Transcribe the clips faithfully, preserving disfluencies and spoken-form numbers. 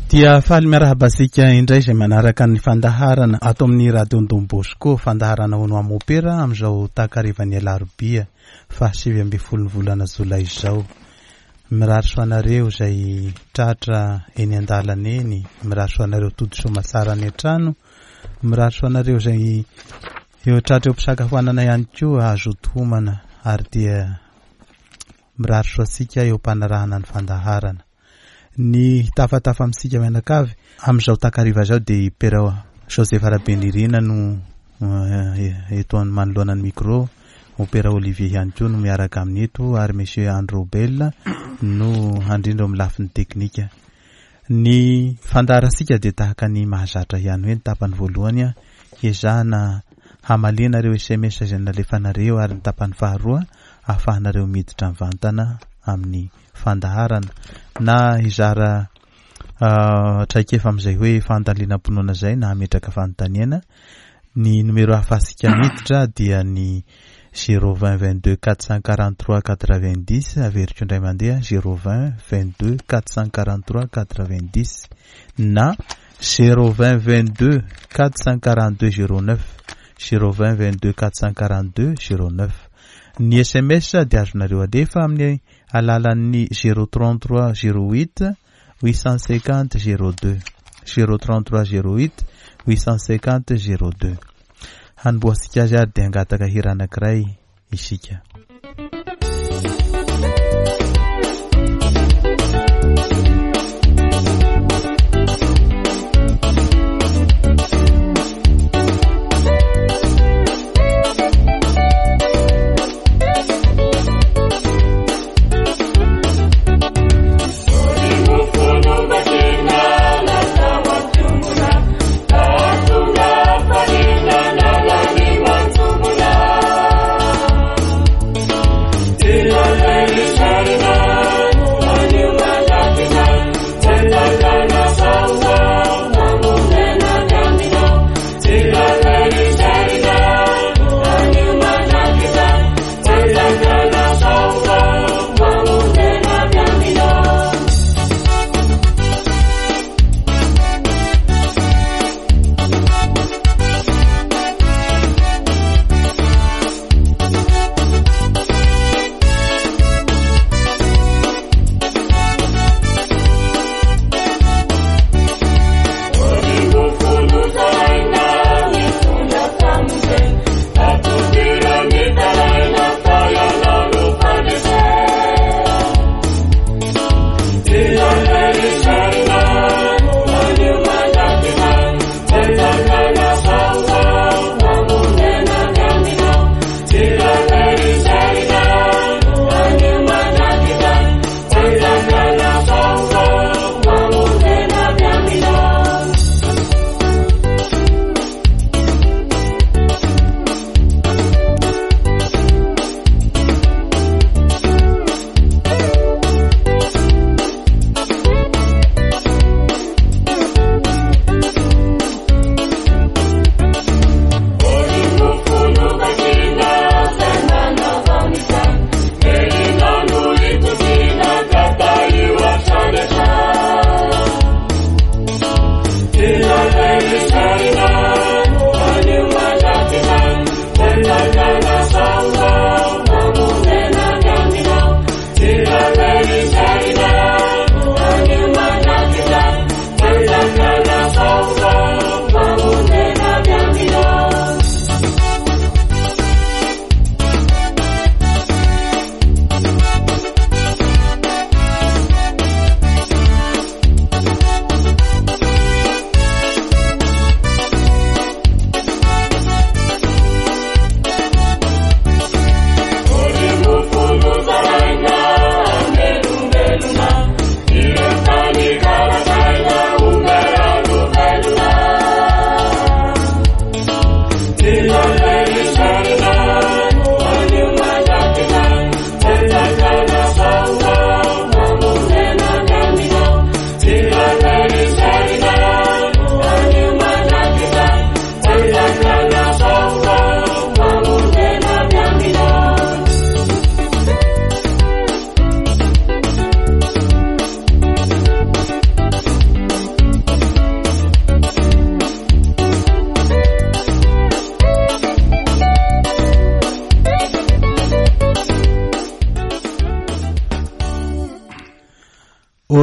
Dia faly miarahaba antsika indray izay manaraka ny fandaharana ato amin'ny Radio Don Bosco, fandaharana hono amopera amin'izao takarivan'ny alarobia fahasivy ambin'ny folo ny volana jolay izao. Mirary soa anareo izay tratra eny an-dalana eny, mirary soa anareo tody soa any an-trano, mirary soa anareo izay eo tratra eo am-pisakafoanana ihany koa hazoto homana, ary dia mirary soa antsika eo am-panarahana ny fandaharana. Ny tafatafa amintsika mianakavy amin'izao takariva izao dia i Père Joseph Rabenirina no eto manoloana ny micro, Père Olivier ihany koa no miaraka aminy eto, ary Monsieur André Robel no handrindra amin'ny lafiny teknika. Ny fandaharantsika dia tahaka ny mahazatra ihany hoe ny tapany voalohany hiezahana hamaliana ireo S M S izay nalefanareo, ary ny tapany faharoa ahafahanareo miditra mivantana amin'ny fandaharana na hizara traikefa amin'izay hoe fandalinam-pinoana izay na hametraka fanontaniana. Ny numéro ahafahantsika miditra dia ny zéro vingt vingt-deux quatre cent quarante-trois quatre-vingt-dix, averiko indray mandeha zéro vingt vingt-deux quatre cent quarante-trois quatre-vingt-dix na zéro vingt vingt-deux quatre cent quarante-deux zéro neuf, zéro vingt vingt-deux quatre cent quarante-deux zéro neuf. Ny S M S dia azonareo alefa amin'ny alalan'ny zéro trente-trois zéro huit huit cent cinquante zéro deux, zéro trente-trois zéro huit huit cent cinquante zéro deux. Hanombohantsika azy ary dia hangataka hira anankiray isika. Thank you.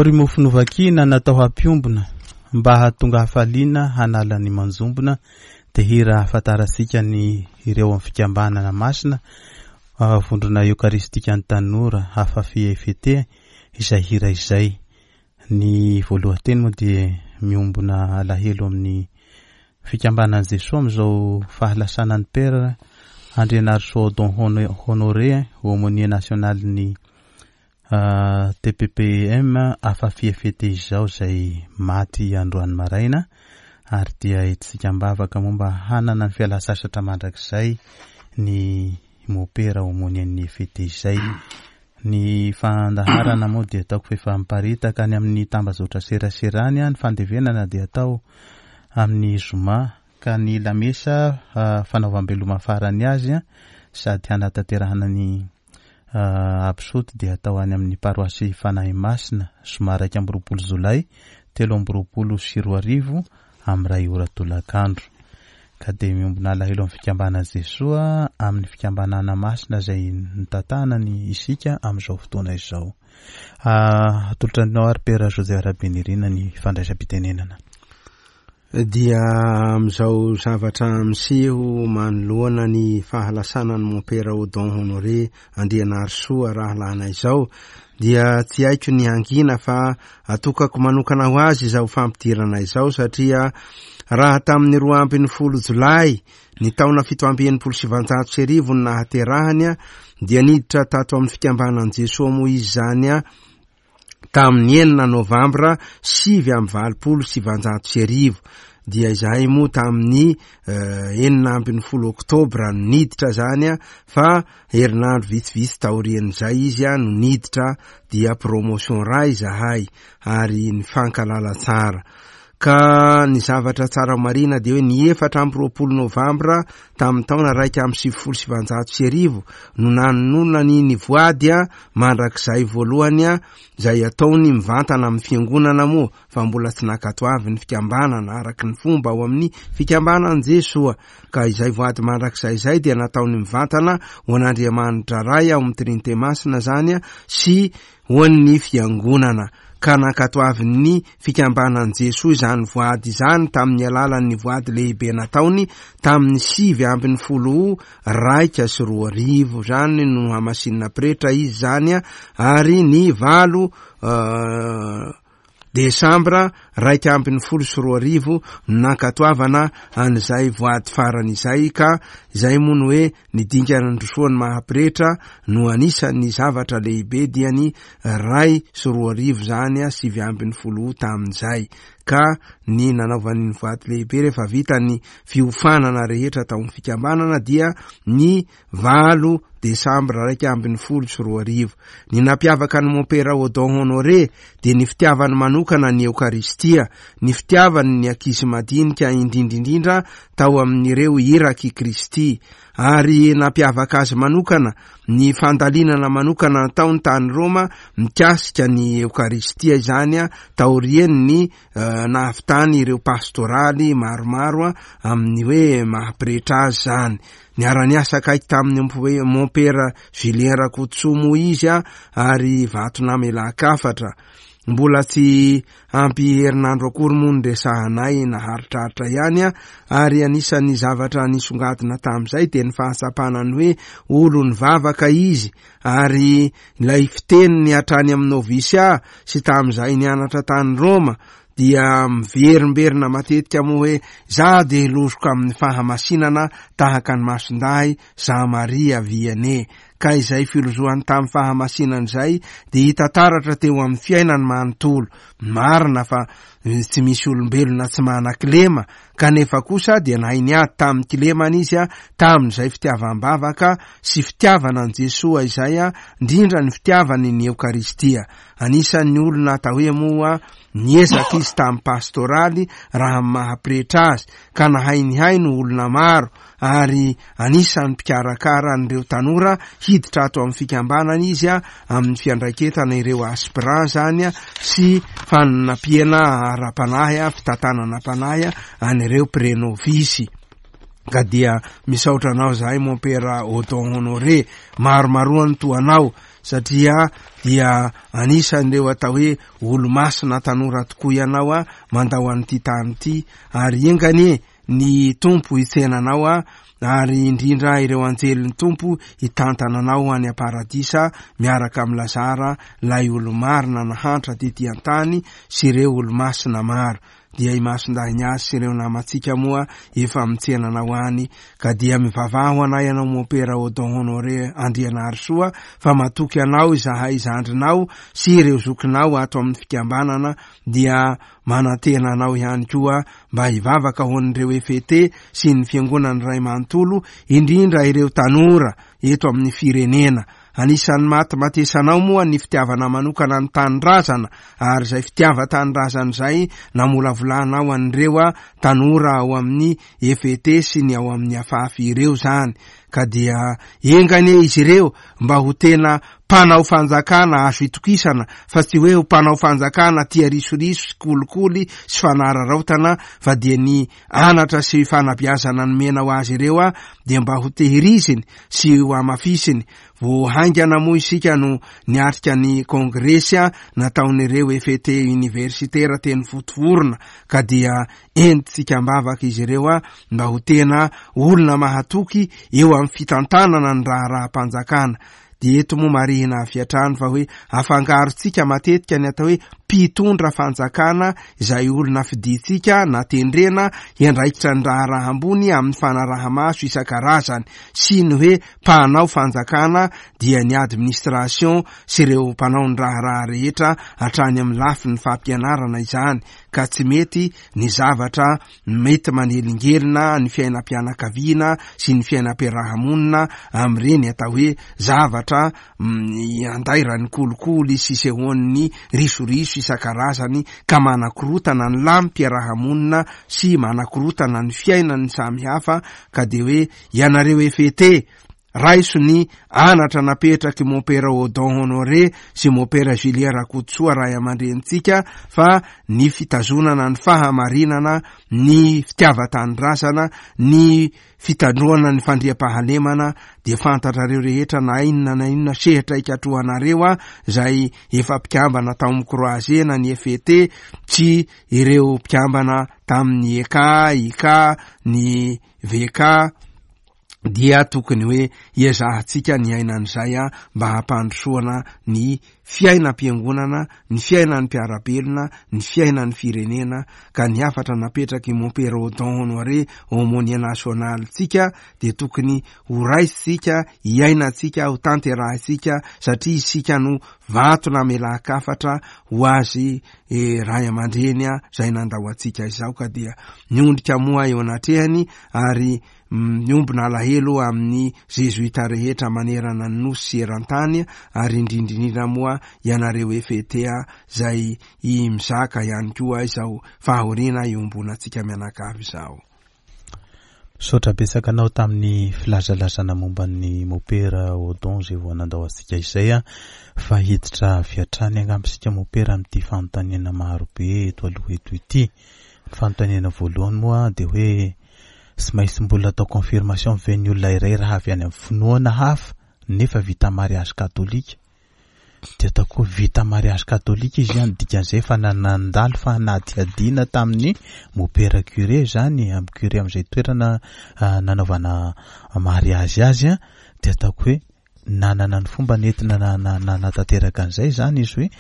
Ry mofo novakina natao hampiombona mba hahatonga hafaliana hanala ny manjombona, dia hira ahafantarantsika ny ireo amin'ny fikambanana masina vondrona eokaristika ny tanora Afafi E F T izay hira izay. Ny voalohan-teny moa dia miombona alahelo amin'ny fikambanan'i Jesoa amin'izao fahalasanan'ny Père Andrianarisoa Odon Honoré, aumônier national ny T P P M Afafi E F T izao, izay maty androany maraina, ary dia entintsika am-bavaka momba hanana ny fialan-tsasatra mandrakizay ny mopera aumônier ny E F T izay. Ny fandaharana moa dia ataoko fa efa miparitaka any amin'ny tambazotra seraserany, ny fandevenana dia atao amin'ny zoma, ka ny lamesa fanaovam-beloma farany azy sady hanatanterahana ny absoty dia atao any amin'ny paroasy Fanahy Masina zoma iraika amby roapolo jolay telo amby roapolo sy roa arivo amin'ny iray ora tolakandro. Ka dia miombona alahelo amin'ny fikambanan'i Jesoa amin'ny fikambanana masina izay nitantanany isika amin'izao fotoana izao. Atolotra anao ary Père José Rabenirina ny fandraisam-pitenenana. Dia amin'izao zavatra miseho manoloana ny fahalasanan'ny Mompera Odon Honoré Andrianarisoa rahalahina izao, dia tsy haiko ny hangina fa atokako manokana ho azy izao fampidirana izao, satria raha tamin'ny roa ambin'ny folo jolay ny taona fito amby enimpolo sy sivanjato sy arivo no nahaterahany, dia niditra tato amin'ny fikambanan'i Jesoa moa izy izany a tamin'ny enina novambra sivy amby valopolo sy sivanjato sy arivo. Dia izahay moa tamin'ny enina ambin'ny folo oktobra no niditra zany a, fa herinandro vitsivitsy taorian'izay izy a no niditra, dia promotion ray izahay ary nifankalala tsara. Ka ny zavatra tsara marina dia hoe ny efatra amby roapolo novambra tamin'ny taona raika amby sivifolo sy sivanjato sy arivo no nanononany ny voady a mandrakizay voalohany a, izay ataony mivantana amin'ny fiangonana moa, fa mbola tsy nankatoavy ny fikambanana araka ny fomba ao amin'ny fikambanan'i Jesoa. Ka izay voady mandrakizay izay dia nataony mivantana ho an'Andriamanitra Ray ao amin'ny Trinite Masina zany a, sy ho an'ny fiangonana. Ka nankatoavin'ny fikambanan'i Jesoa izany voady izany tamin'ny alalan'ny voady lehibe nataony tamin'ny sivy ambin'ny folo raika sy roa arivo. Zany no hamasinina pretra izy zany a, ary ny valo desambra raika ambin'ny folo sy roa arivo no nankatoavana an'izay voady farany izay. Ka izay moa no hoe ny dingana nandrosoan'ny maha-pretra no anisan'ny zavatra lehibe, dia ny ray sy roa arivo zany a, sivy ambin'ny folo tamin'izay. Ka ny nanaovany ny voady lehibe rehefa vita ny fiofanana rehetra tao amin'ny fikambanana dia ny valo desambra raika ambin'ny folo sy roa arivo. Ny nampiavaka ny Mompera Odon Honoré dia ny fitiavany manokana ny Eokaristia, ny fitiavany ny ankizy madinika indrindrindrindra tao amin'ireo irak'i Kristy, ary nampiavaka azy manokana ny fandalinana manokana nataony tany Roma mikasika ny Eokaristia izany a, taorian'ny nahavitany ireo pastoraly maromaro amin'ny hoe maha-pretra azy zany. Niara-niasa akaiky tamin'ny Mompera Julien Rakotosoa moa izy a, ary vato namelan-kafatra. Mbola tsy ampy herinandro akory moa ny resahanay naharitraritra ihany a, ary anisan'ny zavatra nisongadina tamin'izay dia ny fahatsapana ny hoe olon'ny vavaka izy, ary ilay fiteniny hatrany amin'ny novisia sy tamin'izay nianatra tany Roma dia miverimberina matetika moa hoe za dia lozoka amin'ny fahamasinana tahaka ny masindahy Jean Marie Vianney. Ka izay filozohany tamin'ny fahamasinana izay dia hita taratra teo amin'ny fiainany manontolo. Marina fa tsy misy olombelona tsy manan-kilema, kanefa kosa dia nahay niady tamin'ny kilemana izy a, tamin'izay fitiavam-bavaka sy fitiavana an'i Jesoa izay a, indrindra ny fitiavany ny Eokaristia. Anisan'ny olona atao hoe moa niezaka izy tamin'ny pastoraly raha amin'ny maha-pretra azy, ka nahay nihaino olona maro, ary anisan'ny mpikarakara an'ireo tanora hiditra ato amin'ny fikambanana izy a, amin'ny fiandraiketana ireo aspirant zany a, sy fanampiana ara-panahy a, fitantanana panahy a, an'ireo prenovisy. Ka dia misaotra anao zahay Mompera Odon Honoré, maromaroa ny toa anao, satria dia anisan'ireo atao hoe olo-masina tanora tokoa ianao a mandao an'ity tany ity, ary enga anie ny Tompo hitsenanao a ary indrindra ireo anjelin'ny Tompo hitantana anao any am-paradisa miaraka amin'i Lazara, ilay olo-marina nahantra tety an-tany sy ireo olo-masina maro. Dia i Masindahy Ignace sy ireo namantsika moa efa mitsena anao any, ka dia mivavaha ho anay ianao Mompera Odon Honoré Andrianarisoa, fa matoky anao izahay zandrinao sy ireo zokinao ato amin'ny fikambanana, dia manantena anao ihany koa mba hivavaka ho an'ireo F E T sy ny fiangonan'ny Ray manontolo, indrindra ireo tanora eto amin'ny firenena. Anisan'ny matimatesanao moa ny fitiavana manokana ny tanindrazana, ary izay fitiavan-tanindrazana izay namolavolanao an'ireo tanora ao amin'ny F E T sy ny ao amin'ny Afafy ireo zany. Ka dia enga anie izy ireo mba ho tena mpanao fanjakana azo itokisana, fa tsy hoe ho mpanao fanjakana tia risoriso sy kolikoly sy fanararaotana, fa dia ny anatra sy fanabeazana nomena ho azy ireo a dia mba ho tehiriziny sy ho hamafisiny. Vao haingana moa isika no niatrika ny kongresy a nataon'ireo F E T universitaire teny Vontovorona, ka dia entintsika am-bavaka izy ireo a mba ho tena olona mahatoky eo amin'ny fitantanana ny raharaham-panjakana. Dia eto moa marihina avy hatrany fa hoe afangarontsika matetika ny atao hoe mpitondra fanjakana, izay olona fidintsika na tendrena hiandraikitra ny raharaha ambony amin'ny fanaraha-maso isan-karazany, sy ny hoe mpanao fanjakana dia ny administration sy ireo mpanao ny raharaha rehetra hatrany amin'ny lafiny fampianarana izany, ka tsy mety ny zavatra mety manelingelina ny fiainam-pianakaviana sy ny fiainam-piarahamonina amin'ireny atao hoe zavatra, mm, andairan'ny kolikoly sy sehoan'ny risoriso isan-karazany, ka manakorotana ny lamim-piarahamonina sy manakorotana ny fiainan'ny samihafa. Ka dia hoe ianareo F E T, raiso ny anatra napetraky Mompera Odon Honoré sy Mompera Julien Rakotosoa ray aman-drenintsika, fa ny fitazonana ny fahamarinana, ny fitiavan-tanindrazana, ny fitandroana ny fandriampahalemana, dia fantatrareo rehetra na inona na inona sehatra ikatrohanareo a, izay efa mpikambana tao amin'ny Croisé na ny F E T sy ireo mpikambana tamin'ny E K, I K, ny V K, dia tokony hoe iezahantsika ny ainan'izay a mba hampandrosoana ny fiainam-piangonana, ny fiainan'ny mpiara-belona, ny fiainan'ny firenena. Ka ny hafatra napetraky Mompera Odon Honoré aumônier national-tsika dia tokony ho raisitsika, hiainantsika, ho tanterahintsika, satria isika no vato namelan-kafatra ho azy, eh, ray aman-dreny a, izay nandao antsika izao. Ka dia miondrika moa eo anatrehany ary miombona alahelo amin'ny zezoita rehetra manerana ny nosy sy eran-tany, ary indrindrindrindra moa ianareo F E T a, izay i mizaka ihany koa izao fahoriana iombonantsika mianakavy izao. Misaotra betsaka anao tamin'ny filazalazana momba ny Mompera Odon izay vao nandao antsika izay a, fa hiditra avy hatrany angamba isika Mompera amin'ity fanontaniana marobe eto aloha eto ity. Ny fanontaniana voalohany moa dia hoe tsy maintsy mbola atao confirmation ve ny olona iray raha avy any amin'ny finoana hafa nefa vita mariage katolika? Dia ataoko hoe vita mariage katolika izy ihany, dikan'izay fa nandalo fanadihadiana tamin'ny Mompera curé zany, amin'ny curé amin'izay toerana, ah, nanaovana mariage azy a, dia ataoko hoe nanana ny fomba nentina na-, na-, nanatanteraka an'izay zany izy hoe,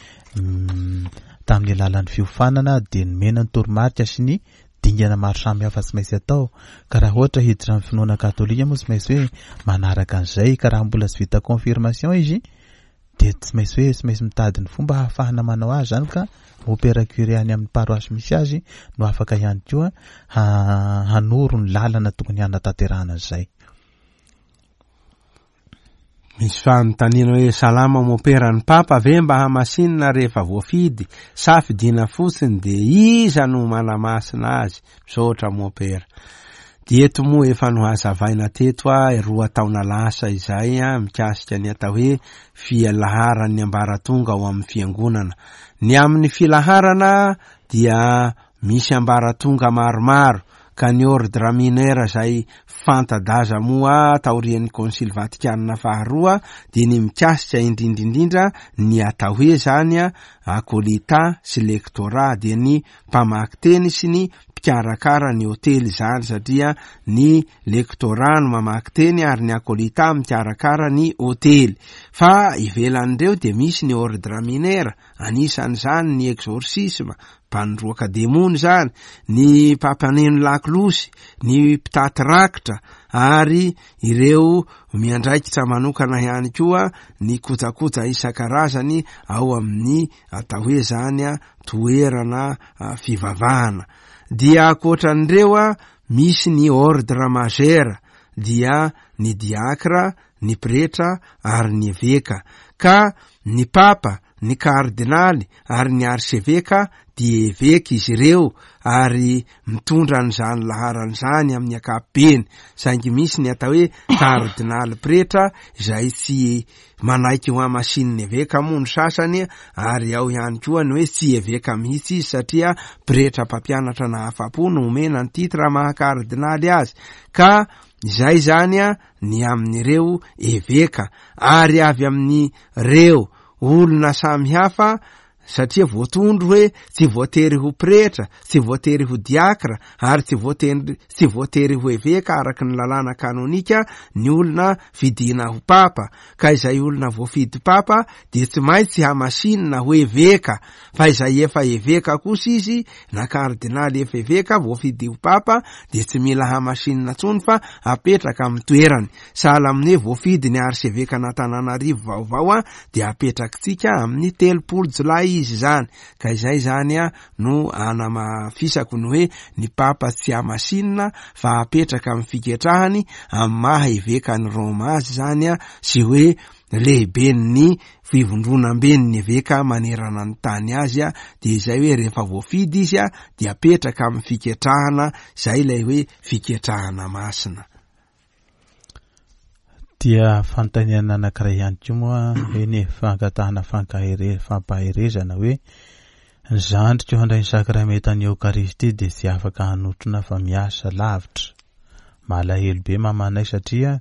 mm, tamin'ny alalan'ny fiofanana dia nomena ny toromarika sy ny dingana maro samihafa tsy maintsy atao. Ka raha ohatra hiditra amin'ny finoana katolika moa tsy maintsy hoe manaraka an'izay, ka raha mbola tsy vita confirmation izy dia tsy maintsy hoe tsy maintsy mitady ny fomba ahafahana manao azy zany, ka Mompera curé any amin'ny paroasy misy azy no afaka ihany koa ha-, hanoro ny lalana tokony hanatanterahana an'izay. Misy fanontaniana hoe salama Mompera, ny Papa ve mba hamasinina rehefa voafidy sa fidiana fotsiny dia iza no manamasina azy? Misaotra Mompera. Dia eto moa efa nohazavaina teto a roa taona lasa izay a mikasika ny atao hoe filaharan'ny ambaratonga ao amin'ny fiangonana. Ny amin'ny filaharana dia misy ambaratonga maromaro, Ka ny ordre mineur izay fanta-daza moa taorian'ny Konsily Vatikana faharoa dia ny mikasika indrindra indrindra ny atao hoe zany akolita sy lectorat, dia ny mpamaky teny sy ny mpikarakara ny hotely zany, satria ny lectorat no mamaky teny ary ny akolita mikarakara ny hotely. Fa ivelan'ireo dia misy ny ordre mineur, anisan'izany ny exorcisme, mpandroaka demony zany, ny mpampaneno lakolosy, ny mpitaty rakitra, ary ireo miandraikitra manokana ihany koa ny kojakoja isan-karazany ao amin'ny atao hoe zany a toerana fivavahana. Dia ankoatran'ireo a misy ny ordre majeur, dia ny diakra, ny pretra ary ny eveka. Ka ny papa, ny kardinaly ary ny arseveka dia eveka izy ireo ary mitondra an'izany laharana izany amin'ny ankapobeny. Saingy misy ny atao hoe kardinaly pretra izay tsy manaiky ho hamasininy eveka moa ny sasany, ary ao ihany koa ny hoe tsy eveka mihitsy izy satria pretra mpampianatra nahafa-po no omena ny titre maha kardinaly azy. Ka izay zany a ny amin'ireo eveka, ary avy amin'ireo olona samihafa, satria voatondro hoe tsy voatery ho pretra, tsy voatery ho diakra, ary tsy voatery, tsy voatery ho eveka araky ny lalàna kanonika ny olona fidina ho papa. Ka izay olona voafidy papa dia tsy maintsy hamasinina ho eveka, fa izay efa eveka kosa izy na kardinaly efa eveka voafidy ho papa dia tsy mila hamasinina intsony fa apetraka amin'ny toerany. Sahala amin'ny hoe voafidy ny arseveka an'Antananarivo vaovao a dia apetrakitsika amin'ny telopolo jolay izy zany. Ka izay zany a no anamafisako ny hoe ny papa tsy hamasinina fa apetraka amin'ny fiketrahany amin'ny maha eveka ny Roma azy zany a, sy hoe lehiben'ny fivondronamben'ny eveka manerana ny tany azy a, dia izay hoe rehefa voafidy izy a dia apetraka amin'ny fiketrahana, izay ilay hoe fiketrahana masina. Dia fanontaniana anankiray ihany koa moa eny fangatahana fankahere-, fampaherezana hoe ny zandriko handray ny sakramentan'ny Eokaristia dia tsy afaka hanotrona fa miasa lavitra. Malahelo be mamanay satria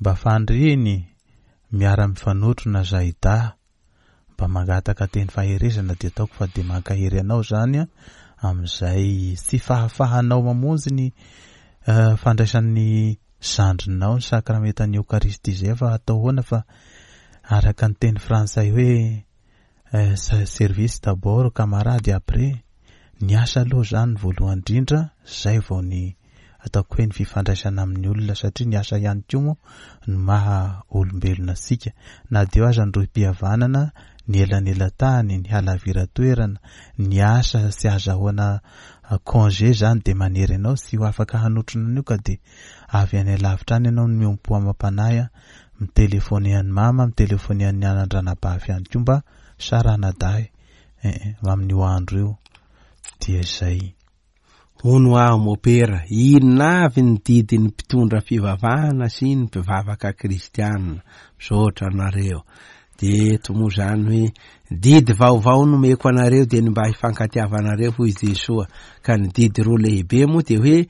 mba faniriny miara-mifanotrona zahidahy. Mba mangataka teny faherezana dia ataoko fa dia mankahery anao zany amin'izay tsy fahafahanao mamonjy ny fandraisan'ny zandrinao ny sakramentan'ny Eokaristia izay, fa atao ahoana fa araka ny teny frantsay hoe service d'abord camarade après, ny asa aloha zany voalohany indrindra, zay vao ny ataoko hoe ny fifandraisana amin'ny olona, satria ny asa ihany koa moa no maha olombelona antsika. Na dia eo aza ny rohim-pihavanana, ny elanelan-tany, ny halaviran-toerana, ny asa tsy azahoana congé zany dia manery anao tsy ho afaka hanotrona an'io, ka dia avy any alavitra any ianao no miompo amam-panahy, mitelefone an'ny mama, mitelefone an'ny anandranabavy ihany koa mba saranadahy amin'io andro io. Dia izay. Hono aho mopera, inona avy ny didin'ny mpitondra fivavahana sy ny mpivavaka kristianina? Misaotra anareo. Dia eto moa zany hoe didy vaovao nomeko anareo dia ny mba hifankatiavanareo, hoy Jesoa. Ka ny didy roa lehibe moa dia hoe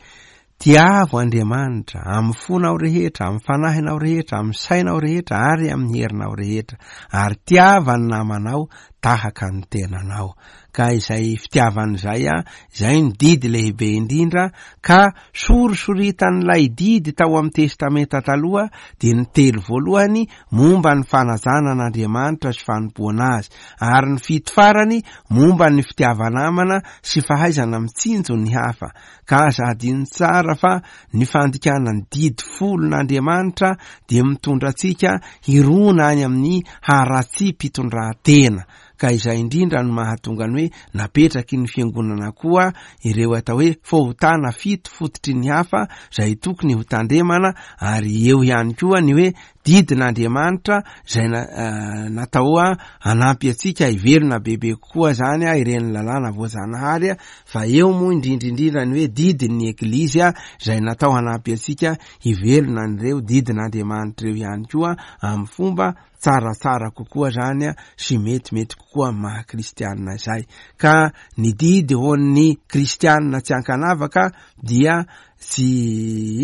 tiavo Andriamanitra amin'ny fonao rehetra, amin'ny fanahinao rehetra, amin'ny sainao rehetra ary amin'ny herinao rehetra, ary tiava ny namanao tahaka ny tenanao. Ka izay fitiavan'izay a, izay ny didy lehibe indrindra, ka sorisoritan'ilay didy tao amin'ny Testamenta taloha dia ny telo voalohany momba ny fanajana an'Andriamanitra sy fanompoana azy, ary ny fito farany momba ny fitiava-namana sy fahaizana mitsinjo ny hafa. Ka aza adino tsara fa ny fandikana ny didy folon'Andriamanitra dia mitondra antsika hirona any amin'ny haratsiam-pitondran-tena. Ka izay indrindra no mahatonga ny hoe napetraky ny fiangonana koa ireo atao hoe fahotana fito fototry ny hafa izay tokony ho tandremana, ary eo ihany koa ny hoe didin'Andriamanitra izay natao hanampy antsika hivelona bebe kokoa zany ireny lalàna voajanahary, fa eo moa indrindra indrindra ny hoe didin'ny Eglizy izay natao hanampy antsika hivelona an'ireo didin'Andriamanitra ireo ihany koa amin'ny fomba tsaratsara kokoa zany sy metimety kokoa amin'ny maha kristianina izay. Ka ny didy ho an'ny kristianina tsy ankanavaka dia tsy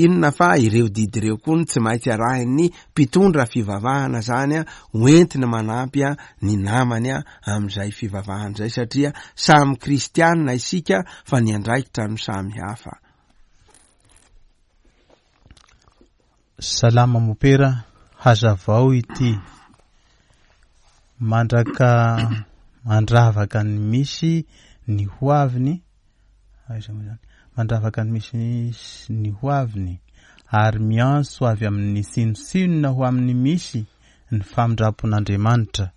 inona fa ireo didy ireo koa no tsy maintsy arahin'ny mpitondra fivavahana zany hoentiny manampy ny namany amin'izay fivavahana izay, satria samy kristianina isika fa ny andraikitra no samy hafa. Salama mopera, hazavao ity mandraka mandravaka ny misy ny hoaviny, aiza moa zany, mandravaka ny misy ny hoaviny ary miantso avy amin'ny tsinontsinona ho amin'ny misy ny famindram-pon'Andriamanitra.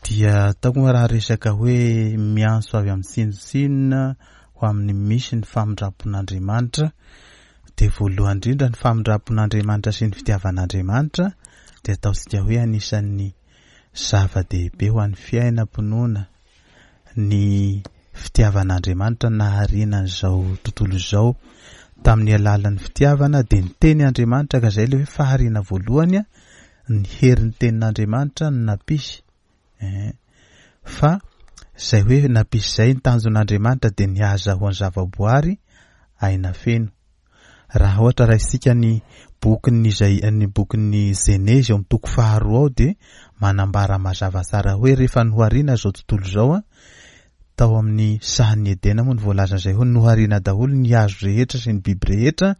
Dia ataoko moa raha resaka hoe miantso avy amin'ny tsinontsinona ho amin'ny misy ny famindram-pon'Andriamanitra, dia voalohany indrindra ny famindram-pon'Andriamanitra sy ny fitiavan'Andriamanitra dia ataontsika hoe anisan'ny zava-dehibe ho an'ny fiainam-pinoana ny fitiavan'Andriamanitra nahariana an'izao tontolo izao tamin'ny alalan'ny fitiavana. Dia ny teny Andriamanitra, ka izay ilay hoe fahariana voalohany, ny herin'ny tenin'Andriamanitra no nampisy. Fa izay hoe nampisy izay ny tanjon'Andriamanitra dia ny hahazahoan'ny zavaboary aina feno. Raha ohatra raisika ny bokin'ny izay ny bokin'ny Genezy eo amin'ny toko faharoa ao dia manambara mazava tsara hoe rehefa nohariana izao tontolo izao, tao amin'ny sahan'ny Edena moa no voalaza izay hoe nohariana daholo ny hazo rehetra sy ny biby rehetra,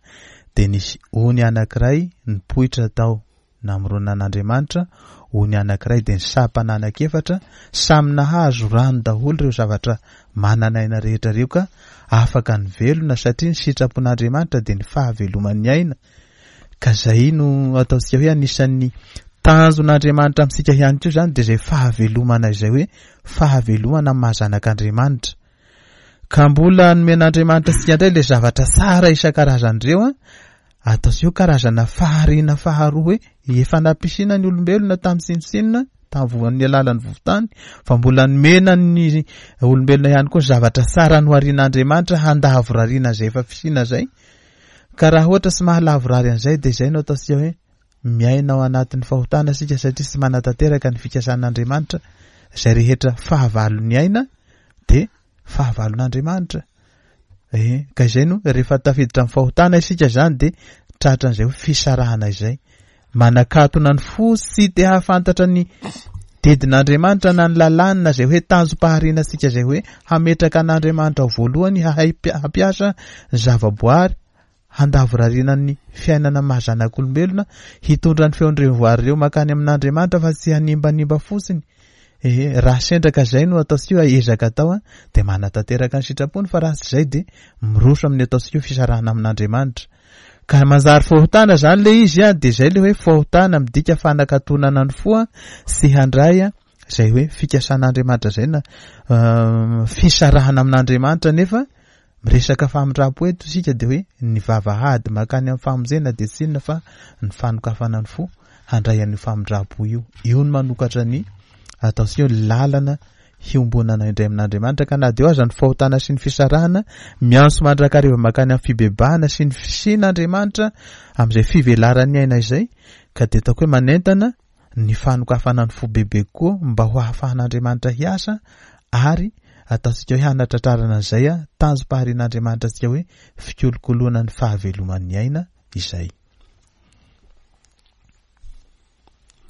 dia nisy ony anankiray nipoitra tao namoronan'Andriamanitra, ony anankiray dia ny sampana anankiefatra, samy nahazo rano daholo ireo zavatra manan'aina rehetra ireo ka afaka nivelona, satria ny sitrapon'Andriamanitra dia ny fahaveloman'ny aina. Ka zay no ataontsika hoe anisan'ny tanjon'Andriamanitra amintsika ihany koa zany, dia izay fahavelomana izay hoe fahavelomana amin'ny maha zanak'Andriamanitra. Ka mbola nomen'Andriamanitra antsika indray ilay zavatra tsara isan-karazany ireo, ataontsika hoe karazana fahariana faharoa hoe efa nampisina ny olombelona tamin'ny tsinontsinona tamin'ny alalan'ny vovotany, fa mbola nomena ny olombelona ihany koa ny zavatra tsara noharian'Andriamanitra handavorariana izay efa fisiana izay. Ka raha ohatra tsy mahalavorary an'izay dia izay no ataontsika hoe miaina ao anatin'ny fahotana isika, satria tsy manatanteraka ny fikasan'Andriamanitra. Izay rehetra fahavalon'ny aina dia fahavalon'Andriamanitra. Eh, ka izay no rehefa tafiditra amin'ny fahotana isika zany dia tratran'izay hoe fisarahana izay. Manakatona ny fo sy te hahafantatra ny didin'Andriamanitra na ny lalàna izay hoe tanjom-pahariana antsika, izay hoe hametraka an'Andriamanitra ho voalohany, hahay hampiasa ny zavaboary, handavorariana ny fiainana maha zanak'olombelona, hitondra ny feon'ireo voary ireo mankany amin'Andriamanitra fa tsy hanimbanimba fotsiny. Eh, raha sendraka izay no ataontsika hoe ezaka atao, dia manatanteraka ny sitrapony, fa raha tsy izay dia miroso amin'ny ataontsika hoe fisarahana amin'Andriamanitra. Ka manjary fahotana zany le izy, dia izay le hoe fahotana midika fanakatonana ny fo sy handray izay hoe fikasan'Andriamanitra izay na fisarahana amin'Andriamanitra. Nefa miresaka famindram-po eto isika dia hoe ny vavahady mankany amin'ny famonjena dia tsy inona fa ny fanokafana ny fo handray an'io famindram-po io. Io no manokatra ny ataontsika hoe lalana hiombonana indray amin'Andriamanitra. Ka na dia eo aza ny fahotana sy ny fisarahana, miantso mandrakariva mankany amin'ny fibebahana sy ny fisian'Andriamanitra amin'izay fivelaran'ny aina izay. Ka dia ataoko hoe manentana ny fanokafana ny fo bebe kokoa mba ho ahafahan'Andriamanitra hiasa, ary ataontsika hoe hanatratrarana an'izay tanjom-paharian'Andriamanitra antsika hoe fikolokoloana ny fahaveloman'ny aina izay.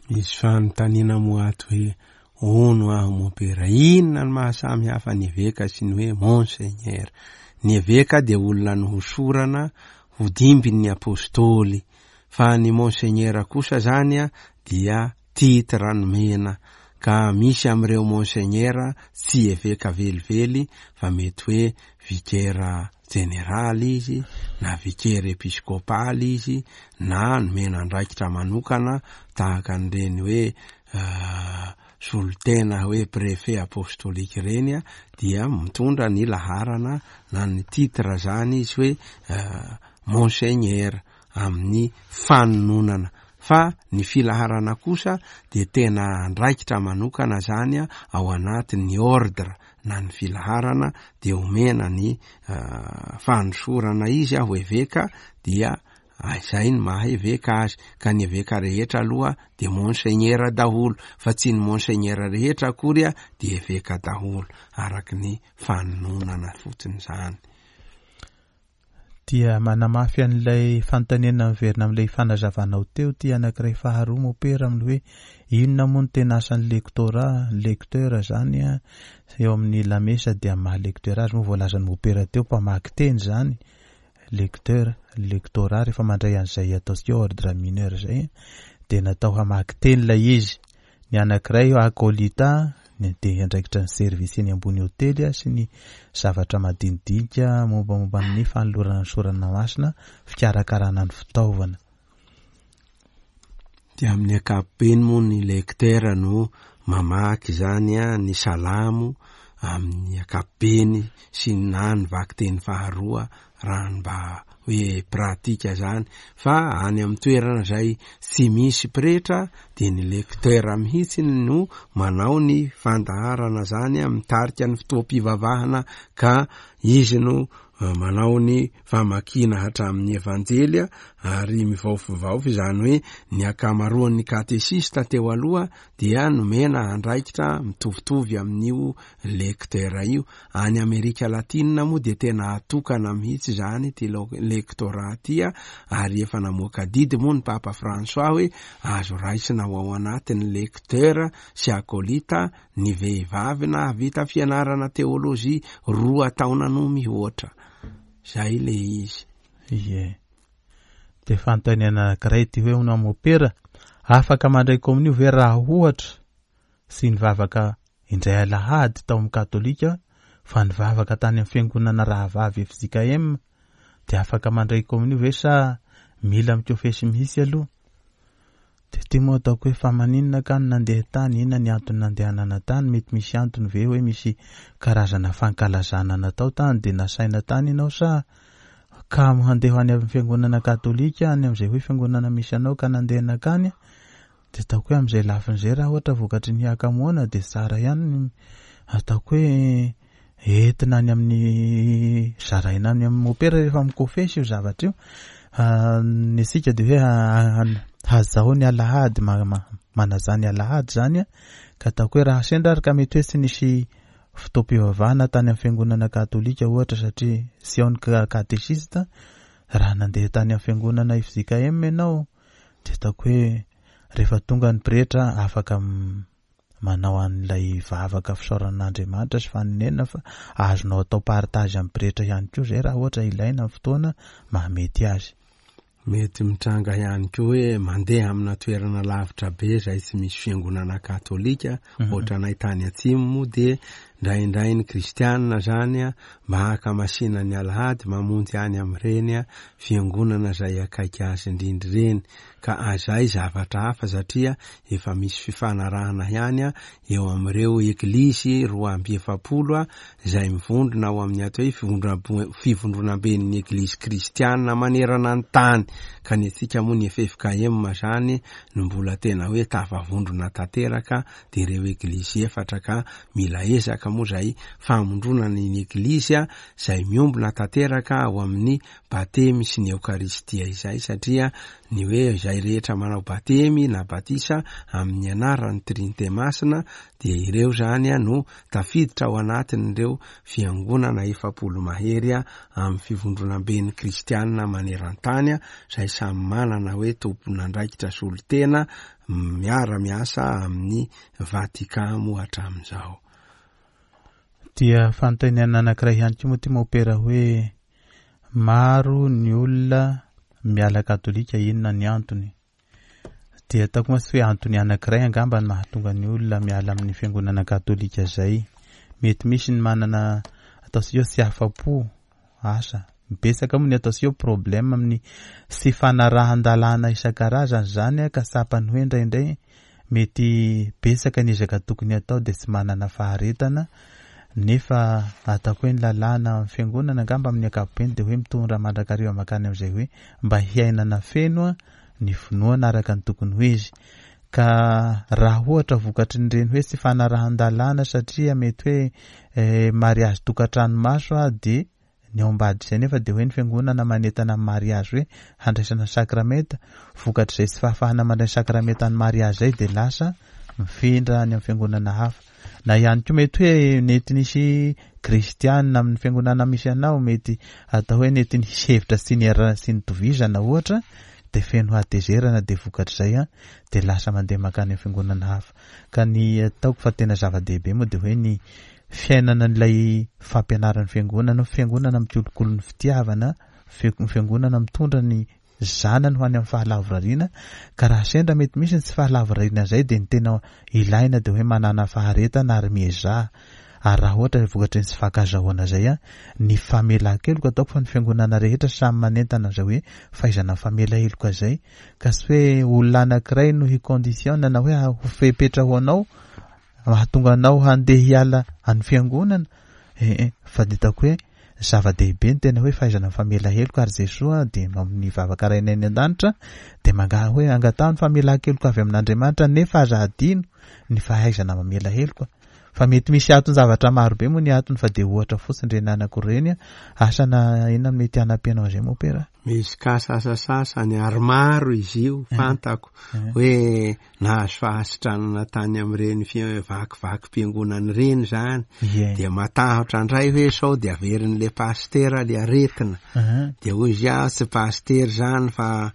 Misy fanontaniana moa ato hoe hono aho mompera, inona no mahasamy hafa ny eveka sy ny hoe monseigneur? Ny eveka dia olona nohosorana ho dimbin'ny apôstôly, fa ny monseigneur kosa zany dia titre nomena. Ka misy amin'ireo monseigneur tsy eveka velively fa mety hoe vicaire jeneraly izy na vicaire episkopaly izy, na nomena andraikitra manokana tahaka an'ireny hoe solotena hoe préfet apostolique ireny, dia mitondra ny laharana na ny titre zany izy hoe monseigneur amin'ny fanononana. Fa ny filaharana kosa dia tena andraikitra manokana zany ao anatin'ny ordre na ny filaharana, dia omena ny fanosorana izy ho eveka, dia izay ny maha eveka azy. Ka ny eveka rehetra aloha dia monseigneur daholo, fa tsy ny monseigneur rehetra akory dia eveka daholo, araky ny fanononana fotsiny zany. Dia manamafy an'ilay fanontaniana miverina amin'ilay fanazavanao teo ty anankiray faharoa mopera, amin'ny hoe inona moa no tena asan'ny lectorat, lecteur zany a, eo amin'ny lamesa? Dia maha lecteur azy moa voalazan'ny mopera teo, mpamaky teny zany lecteur. Lectorat rehefa mandray an'izay ataontsika hoe ordre mineur zay dia natao hamaky teny ilay izy. Ny anankiray acolyte dia andraikitra ny service eny ambony hotely sy ny zavatra madinidinika mombamomba ny fanolorana ny sorana masina, fikarakarana ny fitaovana. Dia amin'ny ankapobeny moa ny lecteur no mamaky zany a ny salamo amin'ny ankapobeny sy na ny vakiteny faharoa raha mba hoe pratika zany. Fa any amin'ny toerana zay tsy misy pretra dia ny lecteur mihitsy no manao ny fandaharana zany, mitarika ny fotoam-pivavahana, ka izy no manao ny famakiana hatramin'ny evanjelia ary mivaofivaofy. Izany hoe ny ankamaroan'ny katesista teo aloha dia nomena andraikitra mitovitovy amin'io lecteur io. Any Amerika Latina moa dia tena atokana mihitsy zany ty lectorat ty, ary efa namoaka didy moa ny Papa François hoe azo raisina ho ao anatin'ny lecteur sy acolyte ny vehivavy na vita fianarana teolojia roa taona no mihoatra. Zay le izy. Ie. Dia fanontaniana anankiray ty hoe hono mopera, afaka mandray komonio ve raha ohatra sy nivavaka indray alahady tao amin'ny katolika fa nivavaka tany amin'ny fiangonana rahavavy F J K M, dia afaka mandray komonio ve sa mila mikofesy mihitsy aloha? Dia ty moa ataoko hoe fa maninona ka ny nandeha tany, inona ny antony nandehanana tany? Mety misy antony ve hoe misy karazana fankalazana natao tany dia nasaina tany ianao, sa ka handeha any amin'ny fiangonana katolika any amin'izay hoe fiangonana misy anao ka nandeha nankany? Dia ataoko hoe amin'izay lafin'izay raha ohatra vokatry ny hakamoana dia tsara ihany ataoko hoe entina any amin'ny zaraina any amin'ny mopera rehefa mikofesy io zavatra io. Ny antsika dia hoe hazao ny alahady, manaza ny alahady zany, ka ataoko hoe raha sendra ary ka mety hoe tsy nisy fotoam-pivavahana tany amin'ny fiangonana katolika ohatra satria tsy ao ny katesista, raha nandeha tany amin'ny fiangonana F J K M ianao dia ataoko hoe rehefa tonga ny pretra afaka manao an'ilay vavaka fisaoran'Andriamanitra sy fanenena, fa azonao atao partage amin'ny pretra ihany koa izay raha ohatra ilaina amin'ny fotoana mahamety azy. Mety mitranga ihany koa hoe mandeha amina toerana lavitra be izay tsy misy fiangonana katolika, ohatranay tany atsimo moa dia indraindray ny kristianina zany mba hakamasina ny alahady mamonjy any amin'ireny fiangonana izay akaiky azy indrindra ireny. Ka azay zavatra hafa satria efa misy fifanarahana ihany eo amin'ireo eglizy roa amby efapolo izay mivondrona ao amin'ny atao hoe fivondronam-bo-, fivondronamben'ny eglizy kristianina manerana ny tany. Ka ny antsika moa ny F F K M zany no mbola tena hoe tafavondrona tanteraka, dia ireo eglizy efatra, ka mila ezaka moa izay famondronana ny eglizy izay miombona tanteraka ao amin'ny batemy sy ny eokaristia izay, satria ny hoe izay rehetra manao batemy na batisa amin'ny anaran'ny Trinite Masina dia ireo zany no tafiditra ao anatin'ireo fiangonana efapolo mahery amin'ny fivondronamben'ny kristianina maneran-tany izay samy manana hoe tompon'andraikitra solontena miara-miasa amin'ny Vatican moa hatramin'izao. Dia fanontaniana anankiray ihany koa moa ty mopera hoe maro ny olona miala katolika, inona ny antony? Dia ataoko moa tsy hoe antony anankiray angamba ny mahatonga ny olona miala amin'ny fiangonana katolika izay. Mety misy ny manana ataontsika hoe tsy afa-po, asa betsaka moa ny ataontsika hoe problème amin'ny tsy fanarahan-dalàna isan-karazany zany, ka tsapany hoe indraindray mety betsaka ny ezaka tokony atao dia tsy manana faharetana, nefa ataoko hoe ny lalàna amin'ny fiangonana angamba amin'ny ankapobeny dia hoe mitondra mandrakariva mankany amin'izay hoe mba hiainana feno ny finoana araka ny tokony ho izy. Ka raha ohatra vokatry ny reny hoe tsy fanarahan-dalàna satria mety hoe eh, mariazy tokantrano maso a, dia ny ao ambadika izay nefa dia hoe ny fiangonana manentana amin'ny mariazy hoe handraisana sakramenta, vokatr'izay tsy fahafahana mandray sakramenta ny mariazy izay dia lasa mifindra any amin'ny fiangonana hafa. Na ihany koa mety hoe nety nisy kristianina amin'ny fiangonana misy anao, mety atao hoe nety nisy hevitra tsy niarahana sy nitovizana ohatra, dia feno hatezerana dia vokatr'izay a, dia lasa mandeha mankany amin'ny fiangonana hafa. Ka ny ataoko fa tena zava-dehibe moa dia hoe ny fiainana an'ilay fampianaran'ny fiangonana, fiangonana mikolokolo ny fitiavana, fiangonana mitondra ny zanany ho any amin'ny fahalavorariana. Ka raha sendra mety misy ny tsy fahalavorariana izay dia ny tena ilaina dia hoe manana faharetana ary miezaha. Ary raha ohatra vokatry ny tsy fahankazahoana izay a, ny famelan-keloka ataoko fa ny fiangonana rehetra samy manentana izay hoe fahaizana famela heloka izay, ka tsy hoe olona anankiray no hi-conditiona na hoe ho fepetra ho anao mahatonga anao handeha hiala any fiangonana, eh, eh, fa dia hitako hoe zava-dehibe ny tena hoe fahaizana famela heloka. Ary Jesoa dia amin'ny vavaka Rainay any an-danitra dia manga hoe angataho ny famelan-keloka avy amin'Andriamanitra, nefa aza adino ny fahaizana mamela heloka. Fa mety misy anton-javatra maro be moa ny antony, fa dia ohatra fotsiny ireny anankiroa ireny, asa na inona mety hanampianao an'izay moa pera. Misy kasasasasany ary maro izy io, fantako hoe nahazo fahasitranana tany amin'ireny fi-, vakivakim-piangonana ireny zany. Dia matahotra indray hoe sao dia averin'le pastera le aretina. Dia hoy izy, ah, tsy pastera zany fa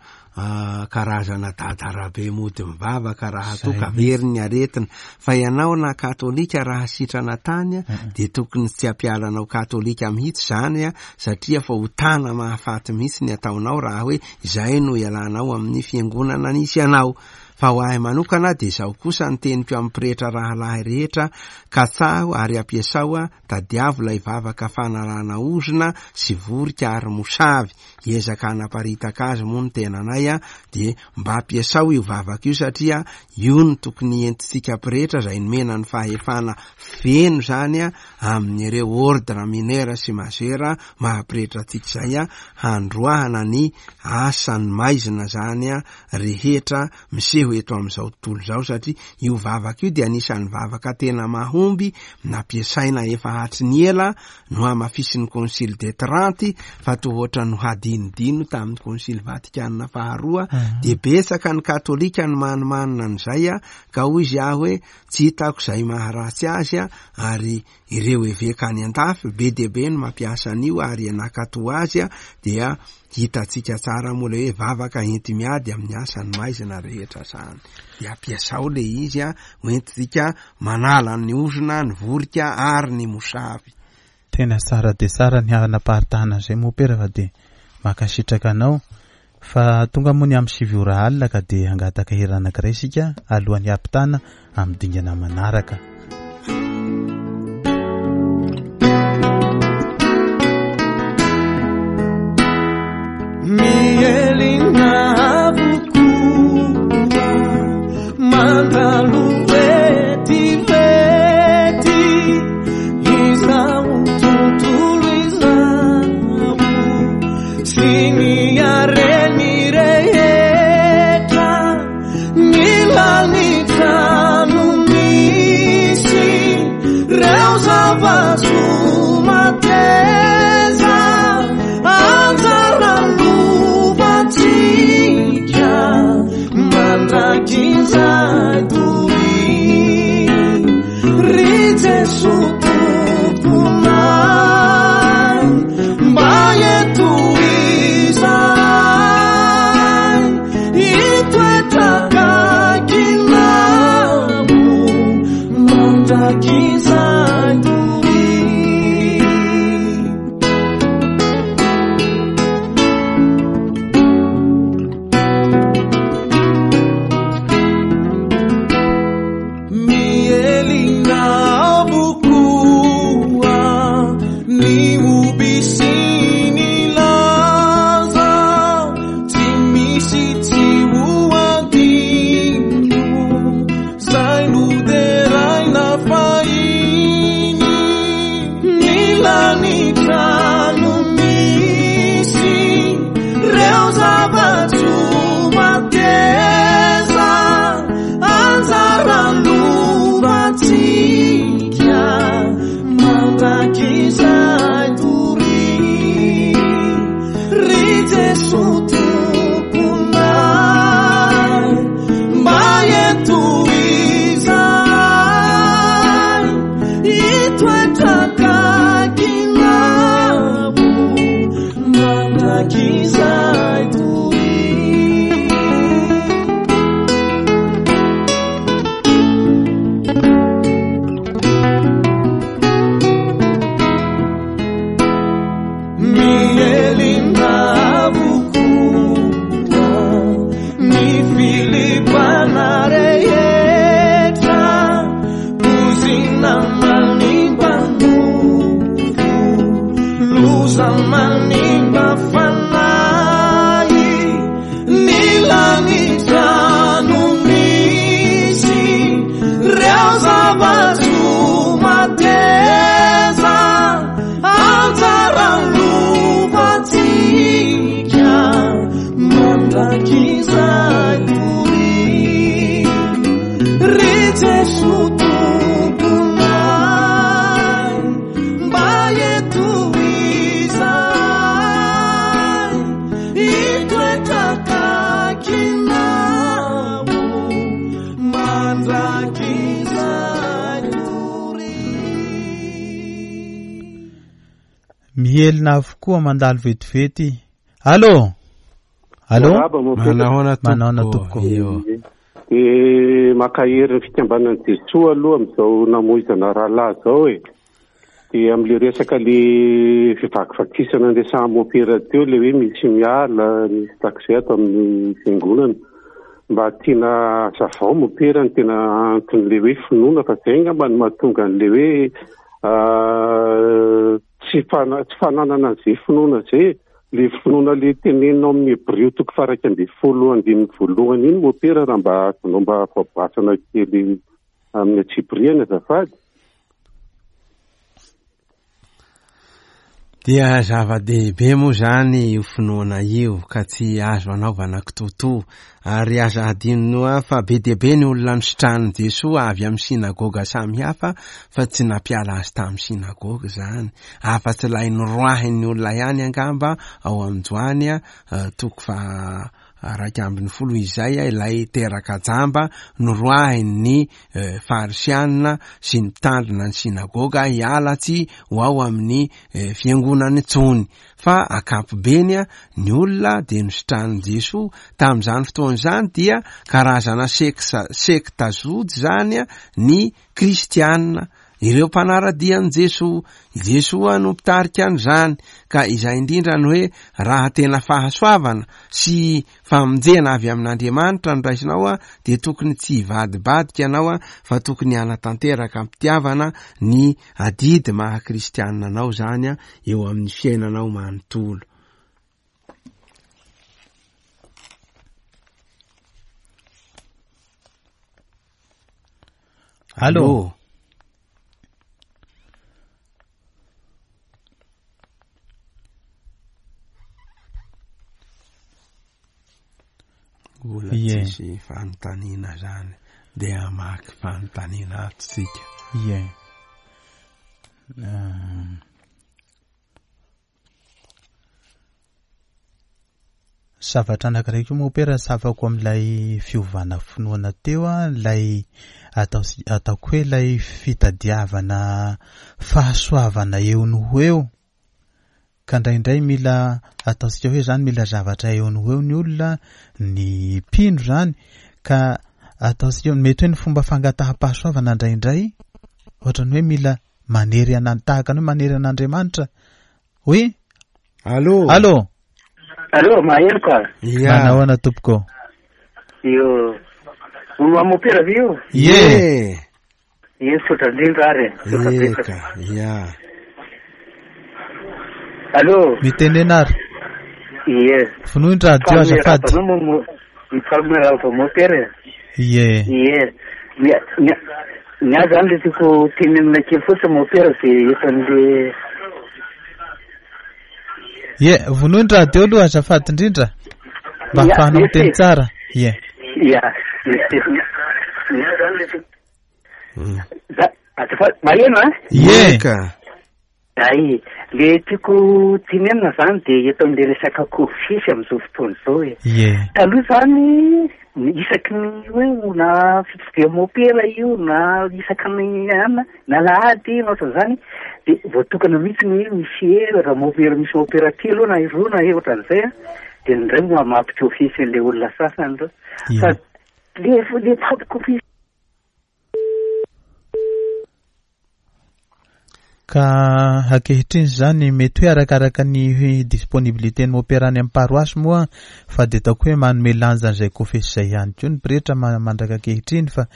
karazana dadarabe mody mivavaka raha toa ka very ny aretina. Fa ianao na katolika raha sitrana tany dia tokony tsy hampialanao katolika mihitsy zany, satria fa ho tana mahafaty mihitsy ny ataonao raha hoe izay no ialanao amin'ny fiangonana nisy anao. Fa ho ahy manokana dia izao kosa ny teniko amin'ny pretra rahalahy rehetra, katsaho ary ampiasao, tadiavo ilay vavaka fanalana ozona sy vorika ary mosavy. Hiezaka hanaparitaka azy moa ny tenanay, dia mba ampiasao io vavaka io, satria io no tokony entintsika pretra izay nomena ny fahefana feno zany amin'ireo ordre mineur sy majeur maha-pretra antsika izay, handroahana ny asan'ny maizina zany rehetra miseho eto amin'izao tontolo izao, satria io vavaka io dia anisan'ny vavaka tena mahomby nampiasaina efa hatry ny ela, no hamafisin'ny Concile de Trente, fa toa ohatra no hadinodino tamin'ny Concile Vatikana faharoa. Dia betsaka ny katolika no manimanina an'izay, ka hoy izy aho hoe tsy hitako izay maharatsy azy, ary ireo eveka any an-dafy be dia be no mampiasa an'io ary nankato azy, dia hitantsika tsara moa ilay hoe vavaka enti-miady amin'ny asan'ny maizina rehetra zany. Dia ampiasao le izy, hoentintsika manala ny ozona, ny vorika ary ny mosavy. Tena tsara dia tsara ny hanaparitahana an'izay moa pera, fa dia mankasitraka anao. Fa tonga moa ny amin'ny sivy ora alina, ka dia hangataka hira anankiray isika alohan'ny hampitana amin'ny dingana manaraka. Mielina avokoa, mandalo vetivety, izao tontolo izao, sy ny hareny rehetra, ny lanitra no misy, reo zava-tsoa mateza, anjara lovantsika, mandrakizay doria. Ry Jesoa Tomponay, mba eto izahay, hitoetra akaikinao, mandrakizay doria. Mielina avokoa, ny hoby sy ny laza, tsy misy tsy ho adino, izay noderaina fahiny. Ny lanitra no misy, reo zava-tsoa mateza, mandrakizay toy. Mielina avokoa ny filibana rehetra, ozina manimba nofo, loza manimba fanahy, ny lanitra no misy reo zava-tsoa mateza, anjaran'ny lovantsika mandrakizay toy. Ry Jesoa Tomponay, mba eto izahay, hitoetra akaikinao mandrakizay toy. Mihelina avokoa mandalo vetivety. Allô? Allô? Miarahaba, Mopera. Manahoana Manahoana tompoko. tompoko. Io. De makahery ny fikambanan'i Jesoa aloha amin'izao namoizana rahalahy zao e. De amin'le resaka le fivakivakisana nresahan'ny mopera teo, le hoe misy miala, misy taxi ato amin'ny fiangonana. Mba tiana hazavao mopera ny tena anton'le hoe finoana, fa zay angamba no mahatonga an'le hoe, ah, tsy fana-, tsy fananana an'izay finoana zay. Le finoana le teneninao amin'ny Hebreo toko faha-iraika ambin'ny folo andininy voalohany iny mopera, raha mba azonao mba voaboasana kely amin'ny antsipiriany azafady. Dia zava-dehibe moa zany io finoana io ka tsy azo anaovana kitotoa, ary aza adinoa fa be dia be ny olona nositranin'i Jesoa avy amin'ny sinagoga samihafa fa tsy nampiala azy tamin'ny sinagoga zany, afa-tsy ilay noroahin'ny olona ihany angamba ao amin'ny Joany, eh, toko faha iraika ambin'ny folo izay, ilay teraka jamba noroahin'ny, eh, farisianina sy ny mpitandrina ny sinagoga hiala tsy ho ao amin'ny, eh, fiangonana intsony. Fa ankapobeny, a, ny olona dia nositranin'i Jesoa tamin'izany fotoana izany dia karazana seksa, sekta jody zany, a, ny kristianina, ireo mpanara-dia an'i Jesoa. I Jesoa no mpitarika an'izany, ka izay indrindra ny hoe raha tena fahasoavana sy famonjena avy amin'Andriamanitra no raisinao, a, dia tokony tsy hivadibadika ianao, a, fa tokony hanatanteraka am-pitiavana ny adidy maha kristianina anao zany, a, eo amin'ny fiainanao manontolo. Allô? Mbola Ie. tsisy fanontaniana zany, dia hamaky fanontaniana ato tsika. Ie. Ah. Zavatra anankiray koa moa pera safako amin'ilay fiovana finoana teo, a, ilay atao sy-, ataoko hoe ilay fitadiavana fahasoavana eo no ho eo. Ka indraindray mila ataontsika hoe zany mila zavatra eo no ho eo ny olona, ny mpino zany, ka ataontsika mety hoe ny fomba fangataham-pahasoavana indraindray ohatran'ny hoe mila manery ana-, tahaka ny hoe manery an'Andriamanitra. Oui? Allô? Allô? Allô, maheno ka? Ia. Manahoana tompoko? Io. Olo amopera ve io? Ie. Ie, misaotra indrindra ary. Misaotra Ie, betsaka. ka, ia. Allô? Mitenena ary. Ie. Vonoy ny radio azafady. Mifaly miarahaba anao mo-, mifaly miarahaba mopera. Ie. Ie. Ny-, ny-, ny ahy zany le tiako tenenina kely fotsiny mopera dia efa an'le Ie, vonoy ny radio aloha azafady indrindra. Mba Ia, ahafahanao ie, miteny ie. tsara. Ie. Ia. Ny ahy zany le tiako Mm. Za, azafady, maheno, hein? Ie. Ka. Ay, le tiako tenenina zany dia eto amin'le resaka kofisy amin'izao fotoana izao e. Ie. Taloha zany Isaky ny hoe na fitsidihana mopera io na isaky ny ana na alahady na ohatran'izany de voatokana mihitsy ny misy raha mopera misy mopera telo na roa na ohatran'izay a de indray moa mampikofisy an'ilay olona sasany reo fa le le fampikofisy. Ka ankehitriny zany mety hoe arakaraka ny disponibilité ny mopera any amin'ny paroasy moa fa de ataoko hoe manome lanja an'izay kofesy izay ihany koa ny pretra mandraka ankehitriny fa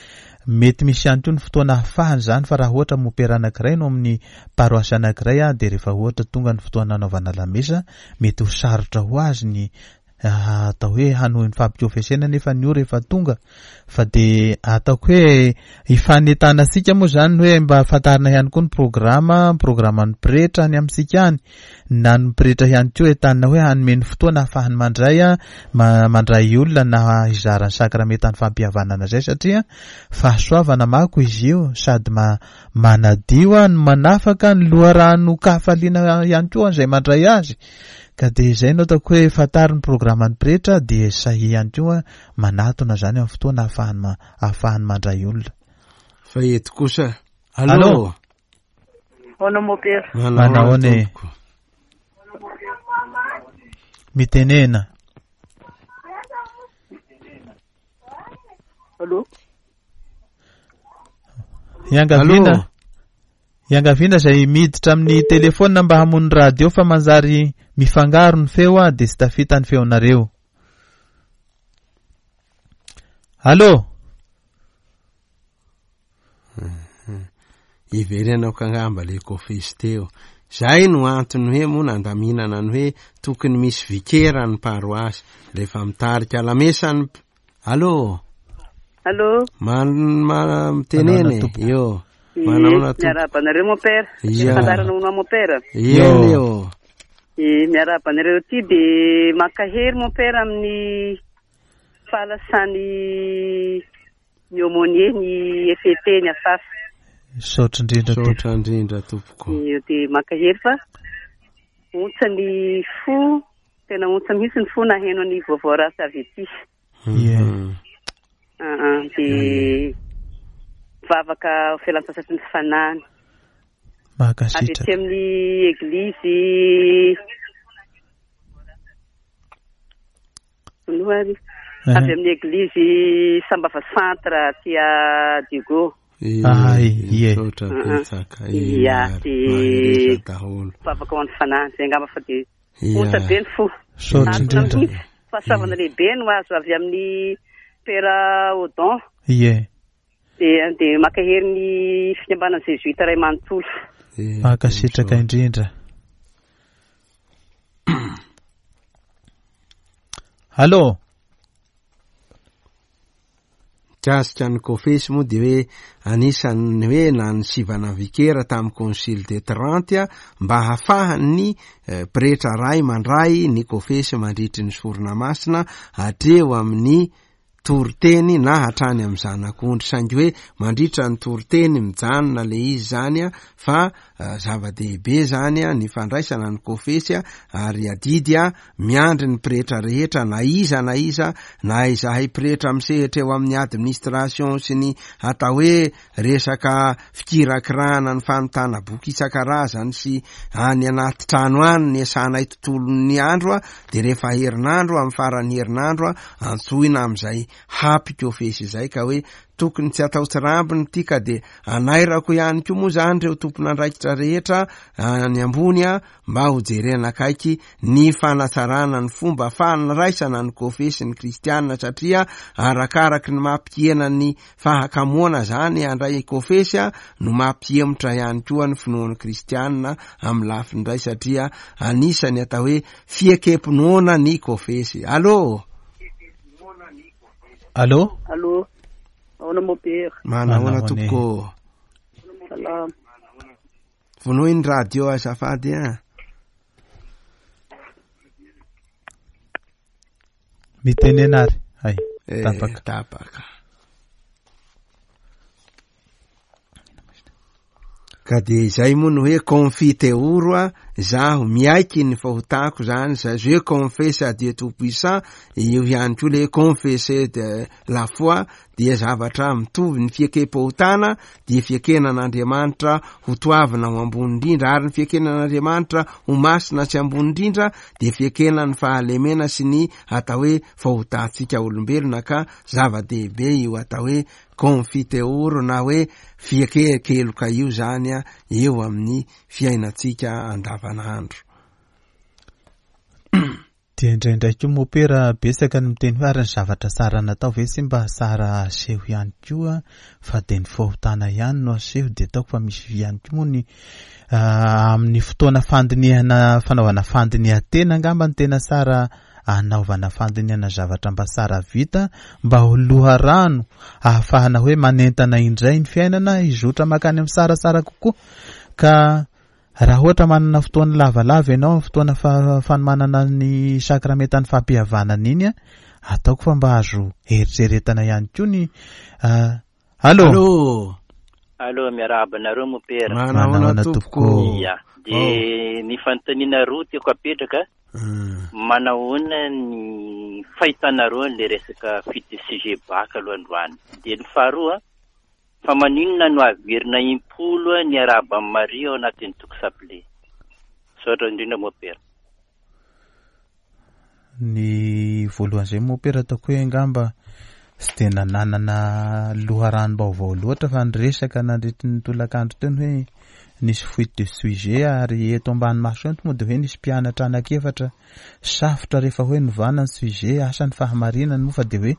mety misy ihany koa ny fotoana ahafahany zany fa raha ohatra mopera anankiray no amin'ny paroasy anankiray a de rehefa ohatra tonga ny fotoana anaovana lamesa mety ho sarotra ho azy ny atao hoe hanohy ny fampikofesena nefa ny ora efa tonga fa de ataoko hoe ifanentana antsika moa zany hoe mba fantarina ihany koa ny programa programan'ny pretra any amintsika any na ny pretra ihany koa entanina hoe hanome ny fotoana ahafahany mandray a mandray olona na hizara ny sakramentan'ny fampihavanana zay satria fahasoavana mako izy io sady ma manadio a no manafaka ny loharano kafaliana ihany koa izay mandray azy. Ka de izay no ataoko hoe fantaro ny programan'ny pretra de sahy ihany koa manatona zany amin'ny fotoana ahafahany ahafahany mandray olona. Fa eto kosa. Allô. Ahoana mopera? Manahoana e? Mitenena. Allô. Iangaviana. Iangaviana izay miditra amin'ny telefona mba hamono radio fa manjary mifangaro ny feo a de tsy tafita ny feonareo. Allô. Iverenako angamba le kofesy teo. Zay no antony hoe moa nandaminana ny hoe tokony misy vikera ny paroasy rehefa mitarika lamesa ny. Allô. Allô. Man ma mitenene io. Manahoana tompoko? Miarahaba anareo mopera. Fandaharana hono mopera. Eny eo. E miarahaba anareo ty de mankahery mopera amin'ny fahalasany ny aumônier ny F E T ny afafy. Misaotra indrindra tompoko. Misaotra indrindra tompoko. De mankahery fa ontsa ny fo, tena ontsa mihitsy ny fo naheno ny vaovao ratsy avy ety. Ie. Ah de vavaka fialan-tsasatry ny fanahiny. Mankasitraka. Avy ety amin'ny eglizy Noary. Avy amin'ny eglizy Sambava Centre aty Diego. Ah, ie. Misaotra betsaka. Ia, de daholo. Vavaka ho an'ny fanahiny zay angamba fa de ontsa be ny fo. Misaotra indrindra. Fahasoavana lehibe no azo avy amin'ny Père Odon. Ie. De de mankahery ny fikambanana Jésuite ray manontolo. Mankasitraka indrindra. Allô. Mikasika ny kofesy moa de hoe anisan'ny hoe na ny sivana vikera tamin'ny concile de Trente mba hahafahan'ny pretra ray mandray ny kofesy mandritry ny sorona masina hatreo amin'ny toriteny na hatrany amin'ny zanak'ondry saingy hoe mandritra ny toriteny mijanona le izy zany a fa zava-dehibe zany a ny fandraisana ny kofesy a ary adidy a miandry ny pretra rehetra na iza na iza na izahay pretra misehatra eo amin'ny administration sy ny atao hoe resaka fikirakirana ny fanontana boky isan-karazany sy any anaty trano any ny asanay tontolon'ny andro a de rehefa herinandro amin'ny faran'ny herinandro a antsoina amin'izay hampikofesy izay ka hoe tokony tsy atao tsirambiny ty ka de anairako ihany koa moa zany ireo tompon'andraikitra rehetra any ambony a mba ho jerena akaiky ny fanatsarana ny fomba fandraisana ny kofesy ny kristianina satria arakaraky ny mampihena ny fahakamoana zany andray kofesy a no mampihemotra ihany koa ny finoan'ny kristianina amin'ny lafiny iray satria anisany atao hoe fiekempinoana ny kofesy. Allô. Allô. Allô. Ahoana mopera? Manahoana tompoko? Salama. Vonoy ny radio azafady a. Mitenena ary. Ay, Eh, tapaka. Tapaka. Ka de izay moa no hoe confiteor a zaho miaiky ny fahotako zany, za je confesse à Dieu tout puissant, io ihany koa le confesser de la foi dia zavatra mitovy. Ny fiekem-pahotana dia fiekena an'Andriamanitra ho toavina ho ambony indrindra, ary ny fiekena an'Andriamanitra ho masina sy ambony indrindra dia fiekena ny fahalemena sy ny atao hoe fahotantsika olombelona, ka zava-dehibe io atao hoe confiteor na hoe fiekekeloka io zany a eo amin'ny fiainantsika andavanandro. Dia indraindray koa mopera betsaka ny miteny hoe ary ny zavatra tsara natao ve tsy mba tsara aseho ihany koa, fa dia ny fahotana ihany no aseho. Dia ataoko fa misy ihany koa moa ny amin'ny fotoana fandinihana, fanaovana fandinihan-tena angamba ny tena tsara anaovana fandinihana zavatra mba tsara vita, mba ho loharano ahafahana hoe manentana indray ny fiainana hizotra makany amin'ny tsaratsara kokoa. Ka raha ohatra manana fotoana lavalava ianao amin'ny fotoana fanomanana ny sakramentan'ny fampihavanana iny, ataoko fa mba azo eritreretana ihany koa ny allo. Allo. Allo, miarahaba anareo mopera. Manahoana tompoko? Ia, dia ny fanontaniana roa tiako apetraka. Manahoana ny fahitanareo an'ilay resaka fuite de sujet bac aloha androany? Dia ny faharoa, fa maninona no averina impolo ny arahaba amin'i Maria ao anatin'ny toko saple? Misaotra indrindra mopera. Ny voalohan'izay mopera ataoko hoe angamba tsy dia nanana loharanom-baovao loatra, fa niresaka nandritry ny tolakandro teo ny hoe nisy fuite de sujet, ary eto ambany maso eto moa dia hoe nisy mpianatra anankiefatra safotra rehefa hoe novana ny sujet, asa ny fahamarinany moa, fa dia hoe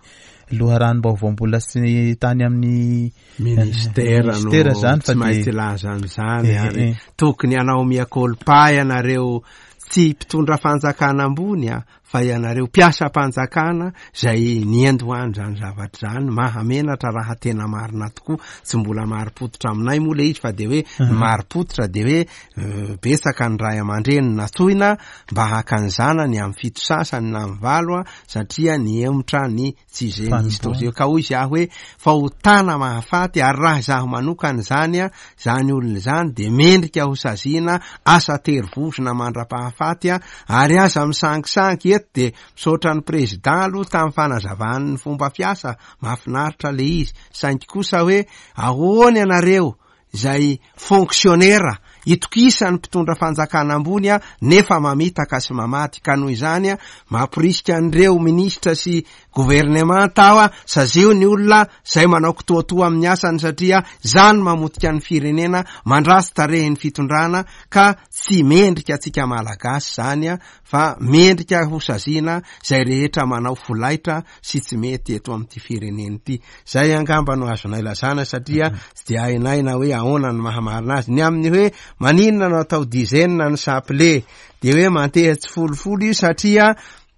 loharanom-baovao mbola tsy tany amin'ny ministera ministera zany, fa tsy maintsy dia laza an'izany, Eh, ary eh. tokony hanao mea culpa ianareo tsy mpitondra fanjakana ambony a, fa ianareo mpiasam-panjakana zay niendohany zany zavatra zany. Mahamenatra raha tena marina tokoa. Tsy mbola marim-pototra aminay moa le izy, fa de hoe Mhm. marim-pototra de hoe eh, betsaka ny ray aman-dreny natoina mba haka ny zanany amin'ny fito sasany na amin'ny valo a, satria niemotra ny tsy izay nisy Fanompoana. tao. Ka hoy izy aho hoe fahotana mahafaty, ary raha izaho manokana zany a, zany olona zany de mendrika ho saziana asa tery vozona mandra-pahafaty a, ary aza misangisangy eto. De misaotra ny président aloha tamin'ny fanazavany ny fomba fiasa, mahafinaritra le izy, saingy kosa hoe ahoana ianareo izay fonctionnaire itokisan'ny mpitondra fanjakana ambony a, nefa mamitaka sy mamaty? Ka noho izany a, mampirisika an'ireo ministra sy gouvernement aho a, sazio ny olona zay manao kitoatoa amin'ny asany, satria zany mamotika ny firenena, mandrasy tarehin'ny fitondrana, ka tsy mendrika antsika malagasy zany a, fa mendrika ho saziana zay rehetra manao folaitra sy tsy mety eto amin'ity firenena ity. Zay angamba no azonay lazana, satria tsy de hainay na hoe ahoana ny mahamarina azy. Ny amin'ny hoe maninona no atao dizaine ny chapelet, de hoe manteha tsy folofolo io, satria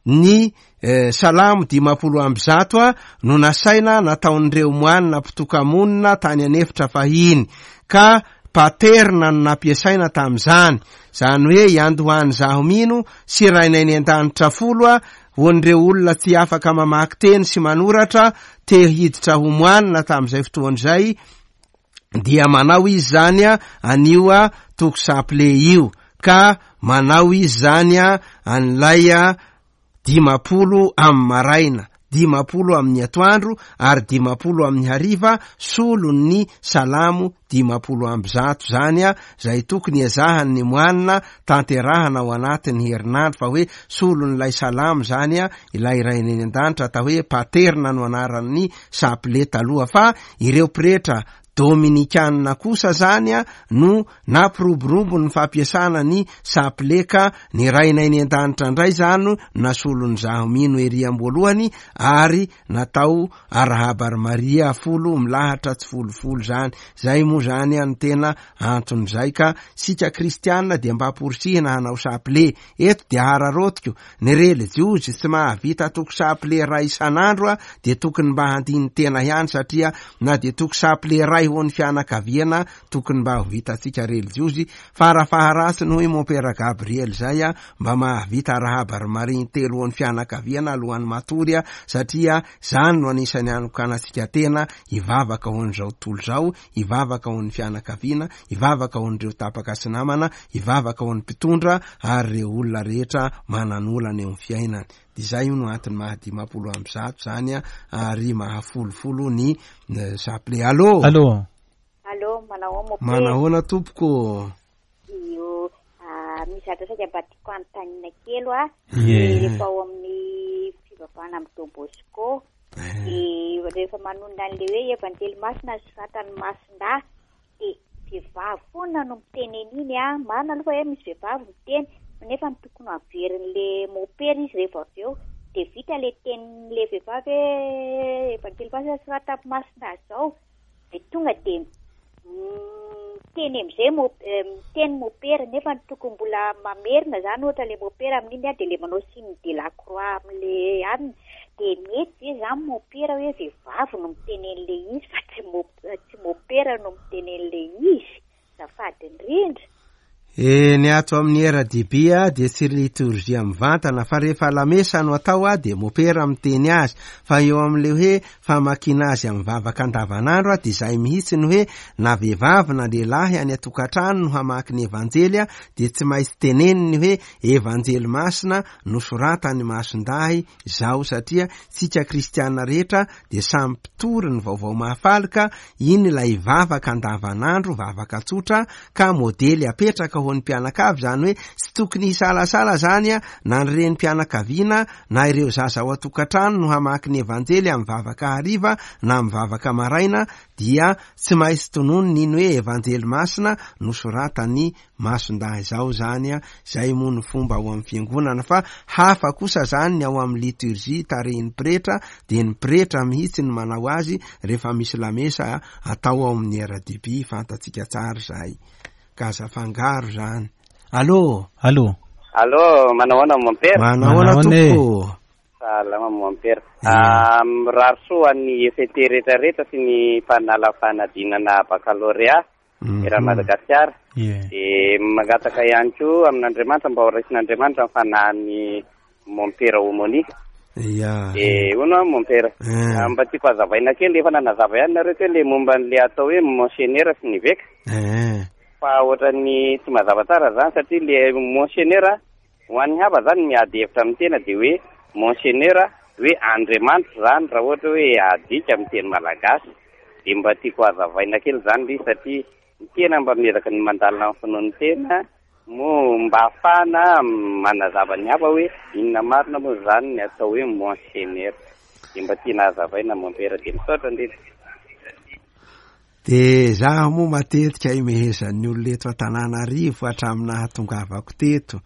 ny eh, salamo dimapolo amby zato a no nasaina nataon'ireo moanina mpitokamonina tany anefitra fahiny, ka paterna no nampiasaina tamin'izany. Zany hoe iandohany zaho mino sy rainay ny an-danitra folo a, ho an'ireo olona tsy afaka mamaky teny sy manoratra te hiditra ho moanina tamin'izay fotoana izay, dia manao izy zany a anio a toko chapelet io, ka manao izy zany a an'ilay a dimapolo amin'ny maraina, dimapolo amin'ny atoandro ary dimapolo amin'ny hariva, solon'ny salamo dimapolo amby zato zany a, zay tokony ezahany ny moanina tanterahana ao anatin'ny herinandro, fa hoe solon'ilay salamo zany a, ilay rainy any an-danitra, atao hoe paterna no anaran'ny chapelet taloha. Fa ireo pretra dominikanina kosa zany a no nampiroborobo ny fampiasana ny chapelet, ka ny rainay ny an-danitra indray zany no nasolony zaho mino ery am-boalohany, ary natao arahaba ry Maria folo milahatra tsy folofolo zany. Zay moa zany a ny tena anton'izay. Ka sika kristianina dia mba amporisihina hanao chapelet. Eto dia hararotiko ny relijiozy tsy mahavita toko chapelet ray isan'andro a, dia tokony mba handiny tena ihany, satria na dia toko chapelet ray iray ho an'ny fianakaviana tokony mba ho vitantsika relijiozy, farafaharatsiny hoy Mompera Gabriel zay a, mba mahavita arahaba ry Maria intelo ho an'ny fianakaviana alohan'ny matory a, satria zany no anisan'ny anokanantsika tena hivavaka ho an'izao tontolo izao, hivavaka ho an'ny fianakaviana, hivavaka ho an'ireo tapaka sy namana, hivavaka ho an'ny mpitondra ary ireo olona rehetra manan'olana eo amin'ny fiainany. Dia izay io no antony maha dimampolo amby zato zany a, ary mahafolofolo ny chapelet. Allô? Allô? Allô, manahoana mompera? Manahoana tompoko? Io, ah, misy zavatra saika mba tiako anontaniana kely a. Ie. Rehefa ao amin'ny fivavahana amin'ny Don Bosco, dia rehefa manonona an'ilay hoe Evanjely Masina ny soratan'ny Masindahy, dia vehivavy foana no miteny an'iny a. Marina aloha fa hoe misy vehivavy miteny, nefa ny tokony haverin'le mopera izy rehefa avy eo, dia vita le tenin'le vehivavy hoe Evanjely Masina ny soratan'ny Masindahy zao, dia tonga dia miteny amin'izay mo-, eh, miteny mopera, nefa ny tokony mbola mamerina zany ohatra le mopera amin'iny a, dia le manao signe de la croix amin'le anina, dia mety ve zany mopera hoe vehivavy no miteny an'le izy fa tsy mo-, tsy mopera no miteny an'le izy? Azafady indrindra. E, ny ato amin'ny R D B a, dia tsy litorjia mivantana, fa rehefa lamesa no atao a, dia mopera miteny azy, fa eo amin'le hoe famakiana azy amin'ny vavaka andavanandro a, dia izay mihitsy ny hoe na vehivavy na lehilahy any an-tokantrano no hamaky ny evanjely a, dia tsy maintsy teneniny hoe evanjely masina nosoratany Masindahy izao, satria tsika kristiana rehetra dia samy mpitory ny vaovao mahafaly, ka iny ilay vavaka andavanandro, vavaka tsotra, ka modely apetraka ho an'ny mpianakavy, zany hoe tsy tokony hisalasala zany a, na ny renim-pianakaviana na ireo zaza ao an-tokantrano no hamaky ny evanjely amin'ny vavaka hariva na amin'ny vavaka maraina, dia tsy maintsy tononiny iny hoe evanjely masina nosoratany Masindahy izao zany a. Izay moa no fomba ao amin'ny fiangonana, fa hafa kosa zany ny ao amin'ny liturgie tarehin'ny pretra, dia ny pretra mihitsy no manao azy rehefa misy lamesa atao ao amin'ny R D B, fantatsika tsara izay. Ka aza fangaro zany. Allô? Allô? Allô, manahoana mompera? Manahoana Manahoana e? tompoko? Salama mompera. Ie. Ah, mirary soa ny F T rehetrarehetra sy ny mpanala fanadinana baccalauréat Mhm. eran'i Madagasikara. Ie. Dia mangataka ihany koa amin'Andriamanitra mba ho raisin'Andriamanitra ny fanahin'ny mompera Omoni. Ia. Dia hono aho mompera. Eh. Ah, mba tiako hazavaina kely, efa nanazava ihany nareo teo le momba an'le atao hoe monseigneur sy ny eveka. Eh. Fa ohatran'ny tsy mazava tsara zany, satria le monseigneur ho an'ny hafa zany miady hevitra amin'ny tena, dia hoe monseigneur hoe Andriamanitra zany raha ohatra hoe adika amin'ny teny malagasy. Dia mba tiako hazavaina kely zany le izy, satria ny tena mba miezaka ny mandalina amin'ny finoan'ny tena, moa mba ahafahana manazava ny hafa hoe inona marina moa zany ny atao hoe monseigneur. Dia mba tiana hazavaina mompera, dia misaotra indrindra. Dia zaho moa matetika imehezan'ny olona eto Antananarivo hatramin'ny nahatongavako teto,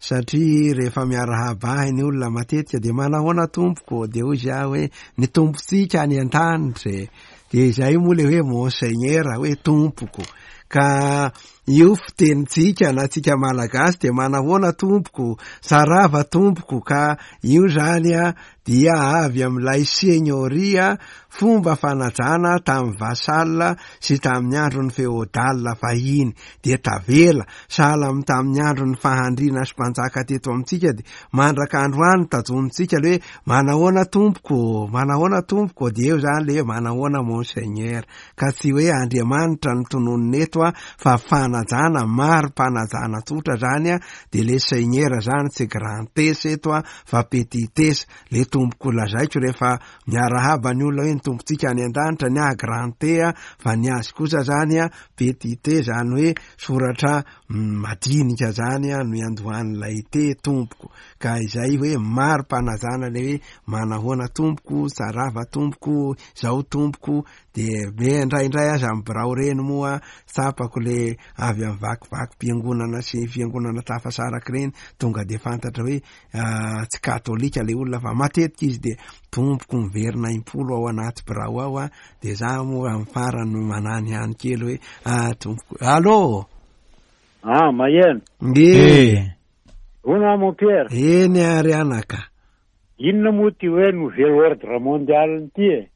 satria rehefa miarahaba ahy ny olona matetika dia manahoana tompoko, dia hoy zaho hoe ny tompontsika any an-danitra e. Dia izay moa le hoe monseigneur, hoe tompoko. Ka io fitenintsika na tsika malagasy dia manahoana tompoko, sarava tompoko, ka io zany a dia avy amin'ilay seigneurie, fomba fanajana tamin'ny vassal sy tamin'ny andron'ny feodal fahiny, dia tavela sahala amin'ny tamin'ny andron'ny fahandriana sy mpanjaka teto amintsika, dia mandraka androany tajonintsika le hoe manahoana tompoko, manahoana tompoko, dia eo zany le hoe manahoana monseigneur, ka tsy hoe Andriamanitra no tononina eto a, fa fanajana, mari-panajana tsotra zany a, dia le seigneur zany tsy grand S eto a, fa petit S. Le tompoko lazaiko rehefa miarahaba ny olona hoe ny tompontsika any an-danitra, ny ahy grand T a, fa ny azy kosa zany a petit T, zany hoe soratra madinika zany a no iandohan'ilay T tompoko. Ka izay hoe mari-panajana le hoe manahoana tompoko, tsarava tompoko, zao tompoko, dia be indraindray aza amin'ny birao reny moa tsapako le avy amin'ny vakivakim-piangonana sy fiangonana tafasaraka ireny, tonga dia fantatra hoe, ah, tsy katolika le olona, fa matetika izy dia tompoko miverina impolo ao anaty birao ao a, dia za moa amin'ny farany manany ihany kely hoe, ah, tompoko. Allô? Ah, maheno. Nge. Eh. Hono mon Pierre. Eny ary anaka. Inona moa ty hoe nouvel ordre mondial ity e?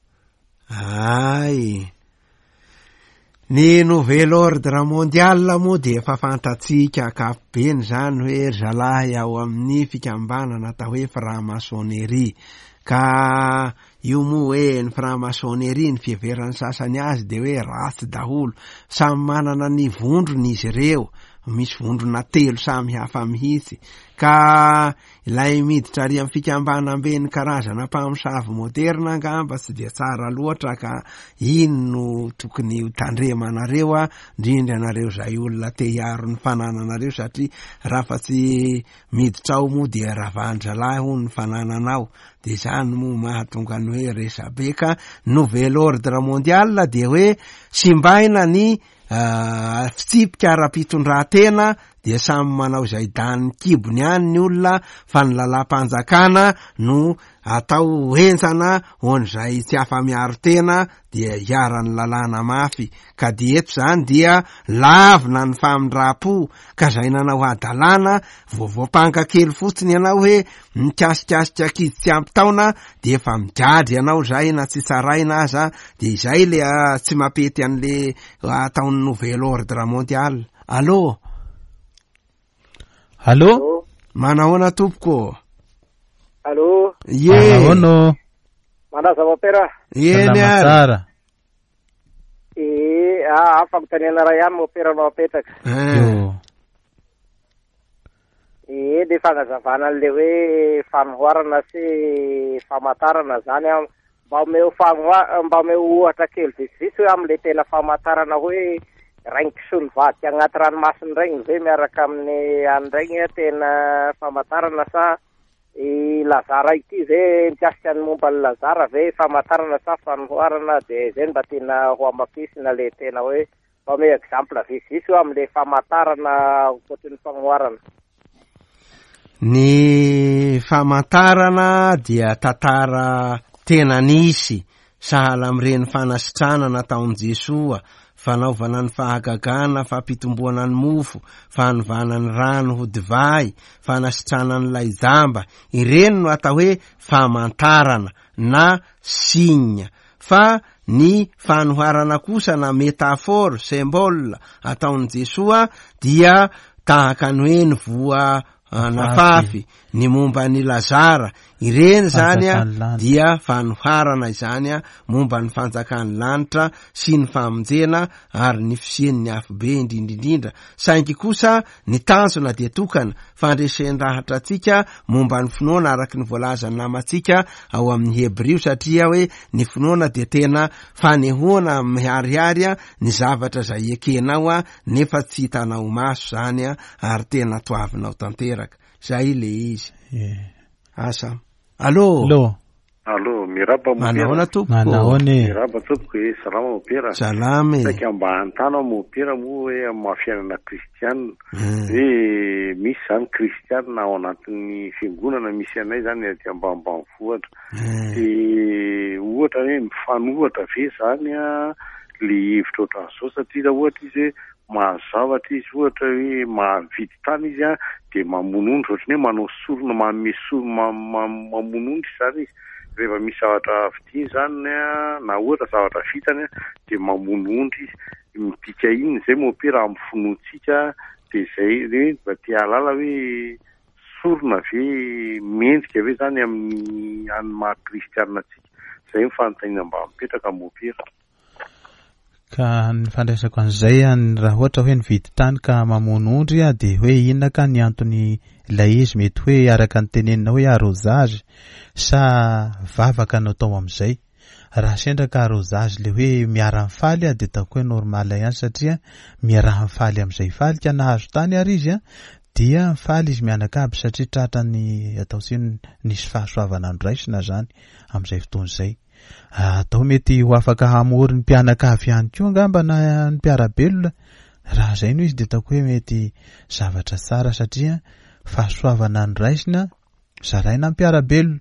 Ay. Ny nouvel ordre mondial moa dia efa fantatsika ankapobeny izany hoe ry zalahy ao amin'ny fikambanana atao hoe franc-maçonnerie. Ka io moa hoe ny franc-maçonnerie, ny fiheveran'ny sasany azy dia hoe ratsy daholo. Samy manana ny vondrony izy ireo, misy vondrona telo samy hafa mihitsy. Ka ilay miditra ary amin'ny fikambanamben'ny karazana mpamosavy moderna angamba tsy dia tsara loatra, ka iny no tokony ho tandremanareo, a indrindra nareo izay olona te hiaro ny fanananareo, satria raha fa tsy miditra ao moa dia ravan-dralahy hono ny fanananao, dia izany moa mahatonga ny hoe resabe. Ka nouvel ordre mondial dia hoe simbaina ny fitsipika ara-pitondran-tena, dia samy manao izay danin'ny kibony ihany ny olona, fa ny lalam-panjakana no atao henjana ho an'izay tsy afa-miaro tena, dia iharan'ny lalàna mafy. Ka dia eto izany dia lavina ny famindram-po, ka izay nanao hadalana vao voampanga kely fotsiny ianao hoe mikasikasika ankizy tsy ampy taona dia efa migadra ianao izay na tsy tsaraina aza, dia izay le tsy mampety an'le ataon'ny nouvel ordre mondial. Allô? Allô? Manahoana tompoko? Allô? Ye. Manahoana? Manaza mopera? Eny Salama ary. tsara. Eh, ah, fanontaniana iray ihany mopera no apetraka. Yo. Eh, le fanazavana an'le hoe fanoharana sy famantarana zany a, mba omeo fanoha-, mba omeo ohatra kely vitsivitsy hoe amin'le tena famantarana hoe rainy kisoa nivadika agnaty ranomasina regny ve miaraka amin'ny an'regny a, tena famantarana, sa i Lazara ity ve mikasika ny momba ny Lazara ve famantarana sa fanoharana? De zay mba tena ho hamafisina le tena hoe mba omeo exemple vitsivitsy hoe amin'le famantarana ankoatry ny fanoharana. Ny famantarana dia tantara tena nisy, sahala amin'ireny fanasitranana nataon'i Jesoa, fanaovana ny fahagagana, fampitomboana ny mofo, fanovana ny rano ho divay, fanasitranana an'ilay jamba. Ireny no atao hoe famantarana na signe. Fa ny fanoharana kosa na métaphore, symbole ataon'i Jesoa dia tahaka ny hoe ny voa nafafy, ny momba ny Lazara, ireny zany a Fanjakan'ny lanitra. dia fanoharana izany a momba ny fanjakan'ny lanitra sy ny famonjena ary ny fisian'ny afobe indrindrindrindra. Saingy kosa ny tanjona dia tokana, fandresen-dahatra antsika momba ny finoana araka ny voalazan'ny namantsika ao amin'ny Hebrio, satria hoe ny finoana dia tena fanehoana miharihary a ny zavatra izay ekenao a nefa tsy hitanao maso zany a ary tena toavinao tanteraka. Zay le izy. Ye. Asa. Allô? Allô? Allô, miraba mopera. Manahoana tompoko? Manahoana e? Miraba tompoko e, salama mopera. Salama e. Saika mba hanontany aho mopera moa hoe amin'ny maha fiainana kristianina. Hmm. Hoe misy zany kristianina ao anatin'ny fiangonana misy anay zany aty ambanimbanivohitra. Hmm. De ohatra hoe mifanohatra ve zany a le hevitra ohatran'izao, satria raha ohatra izy hoe mahazo zavatra izy, ohatra hoe mahavidy tany izy a, de mamono ondry, ohatran'ny hoe manao sorona, manome sorona, ma-, ma-, mamono ondry zany izy. Rehefa misy zavatra vidiany zany a, na ohatra zavatra vitany a, de mamono ondry izy. Midika inona izay mopera amin'ny finoantsika? De zay hoe mba te hahalala hoe sorona ve, mendrika ve zany amin'ny an'ny maha kristianina antsika? Zay ny fanontaniana mba mipetraka mopera. Ka ny fandraisako an'izay a, ny raha ohatra hoe nividy tany ka mamono ondry a, de hoe inona ka ny antony ilay izy? Mety hoe araka ny tenenina hoe arrosage sa vavaka no atao amin'izay. Raha sendra ka arrosage le hoe miara-mifaly a, de ataoko hoe normal ihany, satria miara-mifaly amin'izay faly ka nahazo tany ary izy a, dia mifaly izy mianakavy satria tratra ny atao tsy nisy fahasoavana noraisina zany amin'izay fotoana izay. Atao mety ho afaka hamory ny mpianakavy ihany koa angamba na ny mpiara-belona. Raha izay no izy de ataoko hoe mety zavatra tsara, satria fahasoavana noraisina zaraina amin'ny mpiara-belona.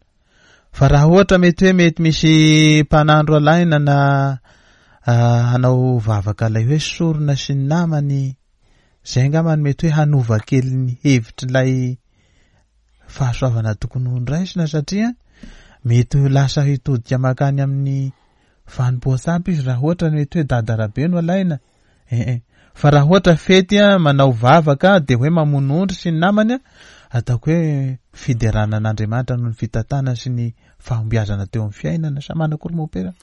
Fa raha ohatra mety hoe mety misy mpanandro alaina na, ah, hanao vavaka ilay hoe sorona sy ny namany, izay angamba no mety hoe hanova kely ny hevitr'ilay fahasoavana tokony ho noraisina, satria mety ho lasa hitodika makany amin'ny fanompoan-tsampy izy raha ohatra mety hoe dadarabe no alaina. Eh eh. Fa raha ohatra fety a, manao vavaka dia hoe mamono ondry sy ny namany a, ataoko hoe fiderana an'Andriamanitra noho ny fitantanana sy ny fahombiazana teo amin'ny fiainana. Sa manakory mompera?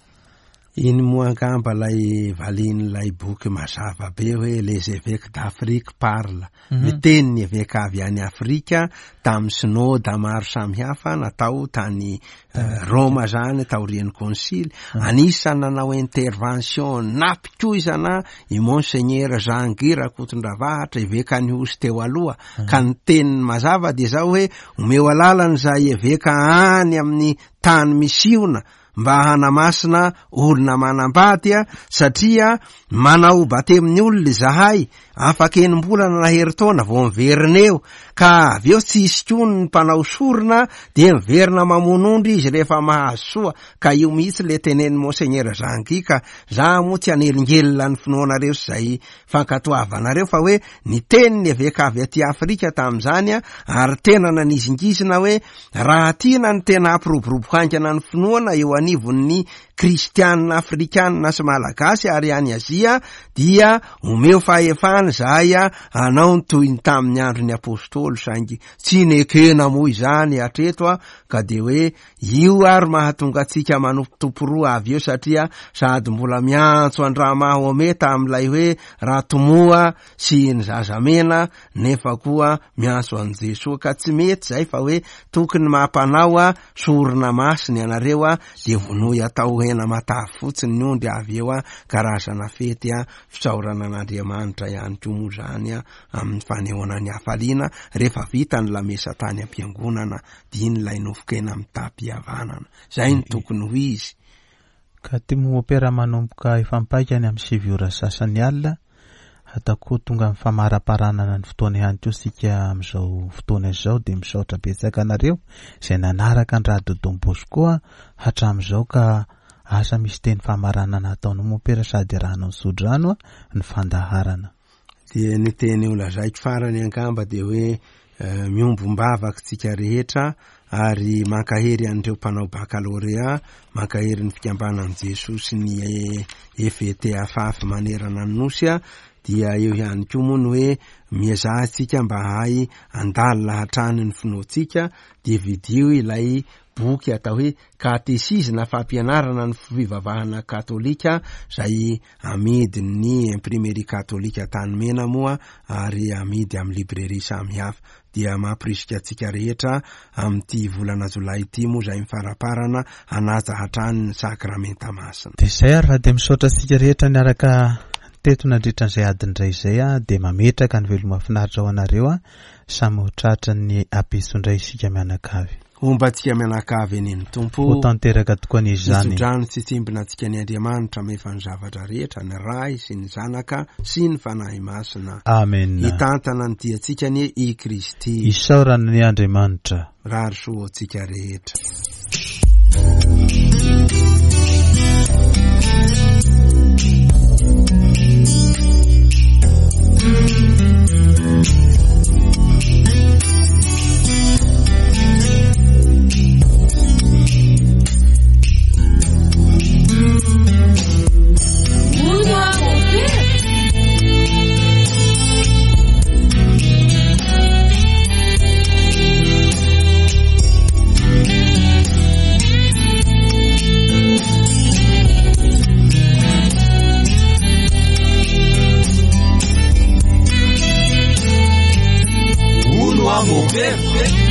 Iny moa angamba ilay valian'ilay boky mazava be hoe Les évêques d'Afrique parlent. Mhm. Miteny ny eveka avy any Afrika tamin'ny synoda maro samihafa natao tany eh, Roma zany taorian'ny konsily. Anisan'ny nanao intervention nampikoizana i Monseigneur Jean Guy Rakotondravahatra eveka ny Hosy teo aloha. Ka ny teniny mazava dia zao hoe omeo alalana izay eveka any amin'ny tany misiona mba hanamasina olona manambady a, satria manao batemin'ny olona izahay afaka enim-bolana na herintaona vao miverina eo, ka avy eo tsy hisy koa ny mpanao sorona dia miverina mamono ondry izy rehefa mahazo soa. Ka io mihitsy le tenenin'i Monseigneur Jean Guy, ka za moa tsy hanelingelina ny finoanareo sy izay fankatoavanareo, fa hoe ny tenin'ny eveka avy aty Afrika tamin'izany a, ary tena nanizingizina hoe raha tiana ny tena hampiroborobo haingana ny finoana eo anivon'ny kristianina afrikanina sy malagasy ary any Azia dia omeo fahefana izahay a, hanao ny toy ny tamin'ny andron'ny apôstôly, saingy tsy nekena moa izany hatreto a, ka dia hoe io ary mahatonga antsika manompo roa avy eo, satria sady mbola miantso an-dRamahometa amin'ilay hoe Ratomoa sy ny zazamena, nefa koa miantso an'i Jesoa, ka tsy mety zay fa hoe tokony mampanao a sorona masina ianareo a, dia vonoy atao hena matavy fotsiny ny ondry avy eo a, karazana fety a, fisaorana an'Andriamanitra ihany koa moa zany a, amin'ny fanehoana ny hafaliana rehefa vita ny lamesa tany am-piangonana, dia iny ilay nofon-kena mitam-pihavanana. Zay no tokony ho izy. Ka ty mompera manomboka efa mipaika any amin'ny sivy ora sasany alina, ataoko tonga amin'ny famaraparanana ny fotoana ihany koa isika amin'izao fotoana izao, dia misaotra betsaka anareo izay nanaraka ny Radio Don Bosco hatramin'izao, ka asa misy teny famaranana ataonao mompera sady arahanao ny sodrano ny fandaharana. Dia ny teny ho lazaiko farany angamba dia hoe eh, miombom-bavaka tsika rehetra ary mankahery an'ireo mpanao bakalorea, mankahery ny fikambanan'i Jesoa sy ny F E T A F A F manerana ny Nosy a, dia eo ihany koa moa ny hoe miezaha tsika mba hahay handalina hatrany ny finoantsika, dia vidio ilay boky atao hoe katesizy na fampianarana ny fivavahana katolika izay amidin'ny imprimerie katolika Antanimena moa ary amidy amin'ny librairie samihafa. Dia mampirisika antsika rehetra amin'ity volana jolay ity moa izay mifaraparana hanaja hatrany ny sakramenta masina. Dia izay ary raha dia misaotra antsika rehetra niaraka teto nandritra an'izay adiny iray izay a, dia mametraka ny veloma finaritra ho anareo a, samy ho tratra ny apiso indray isika mianakavy. Homba antsika mianakavy eny ny Tompo. Ho tanteraka tokoa ny izany. Mitsodrano tsy tsimbina antsika ny Andriamanitra mahefa ny zavatra rehetra, ny Ray sy ny Zanaka sy ny Fanahy Masina. Amen. Hitantana ny diantsika anie i Kristy. Isaorana ny Andriamanitra. Rary soa ho antsika rehetra. Uno a mover.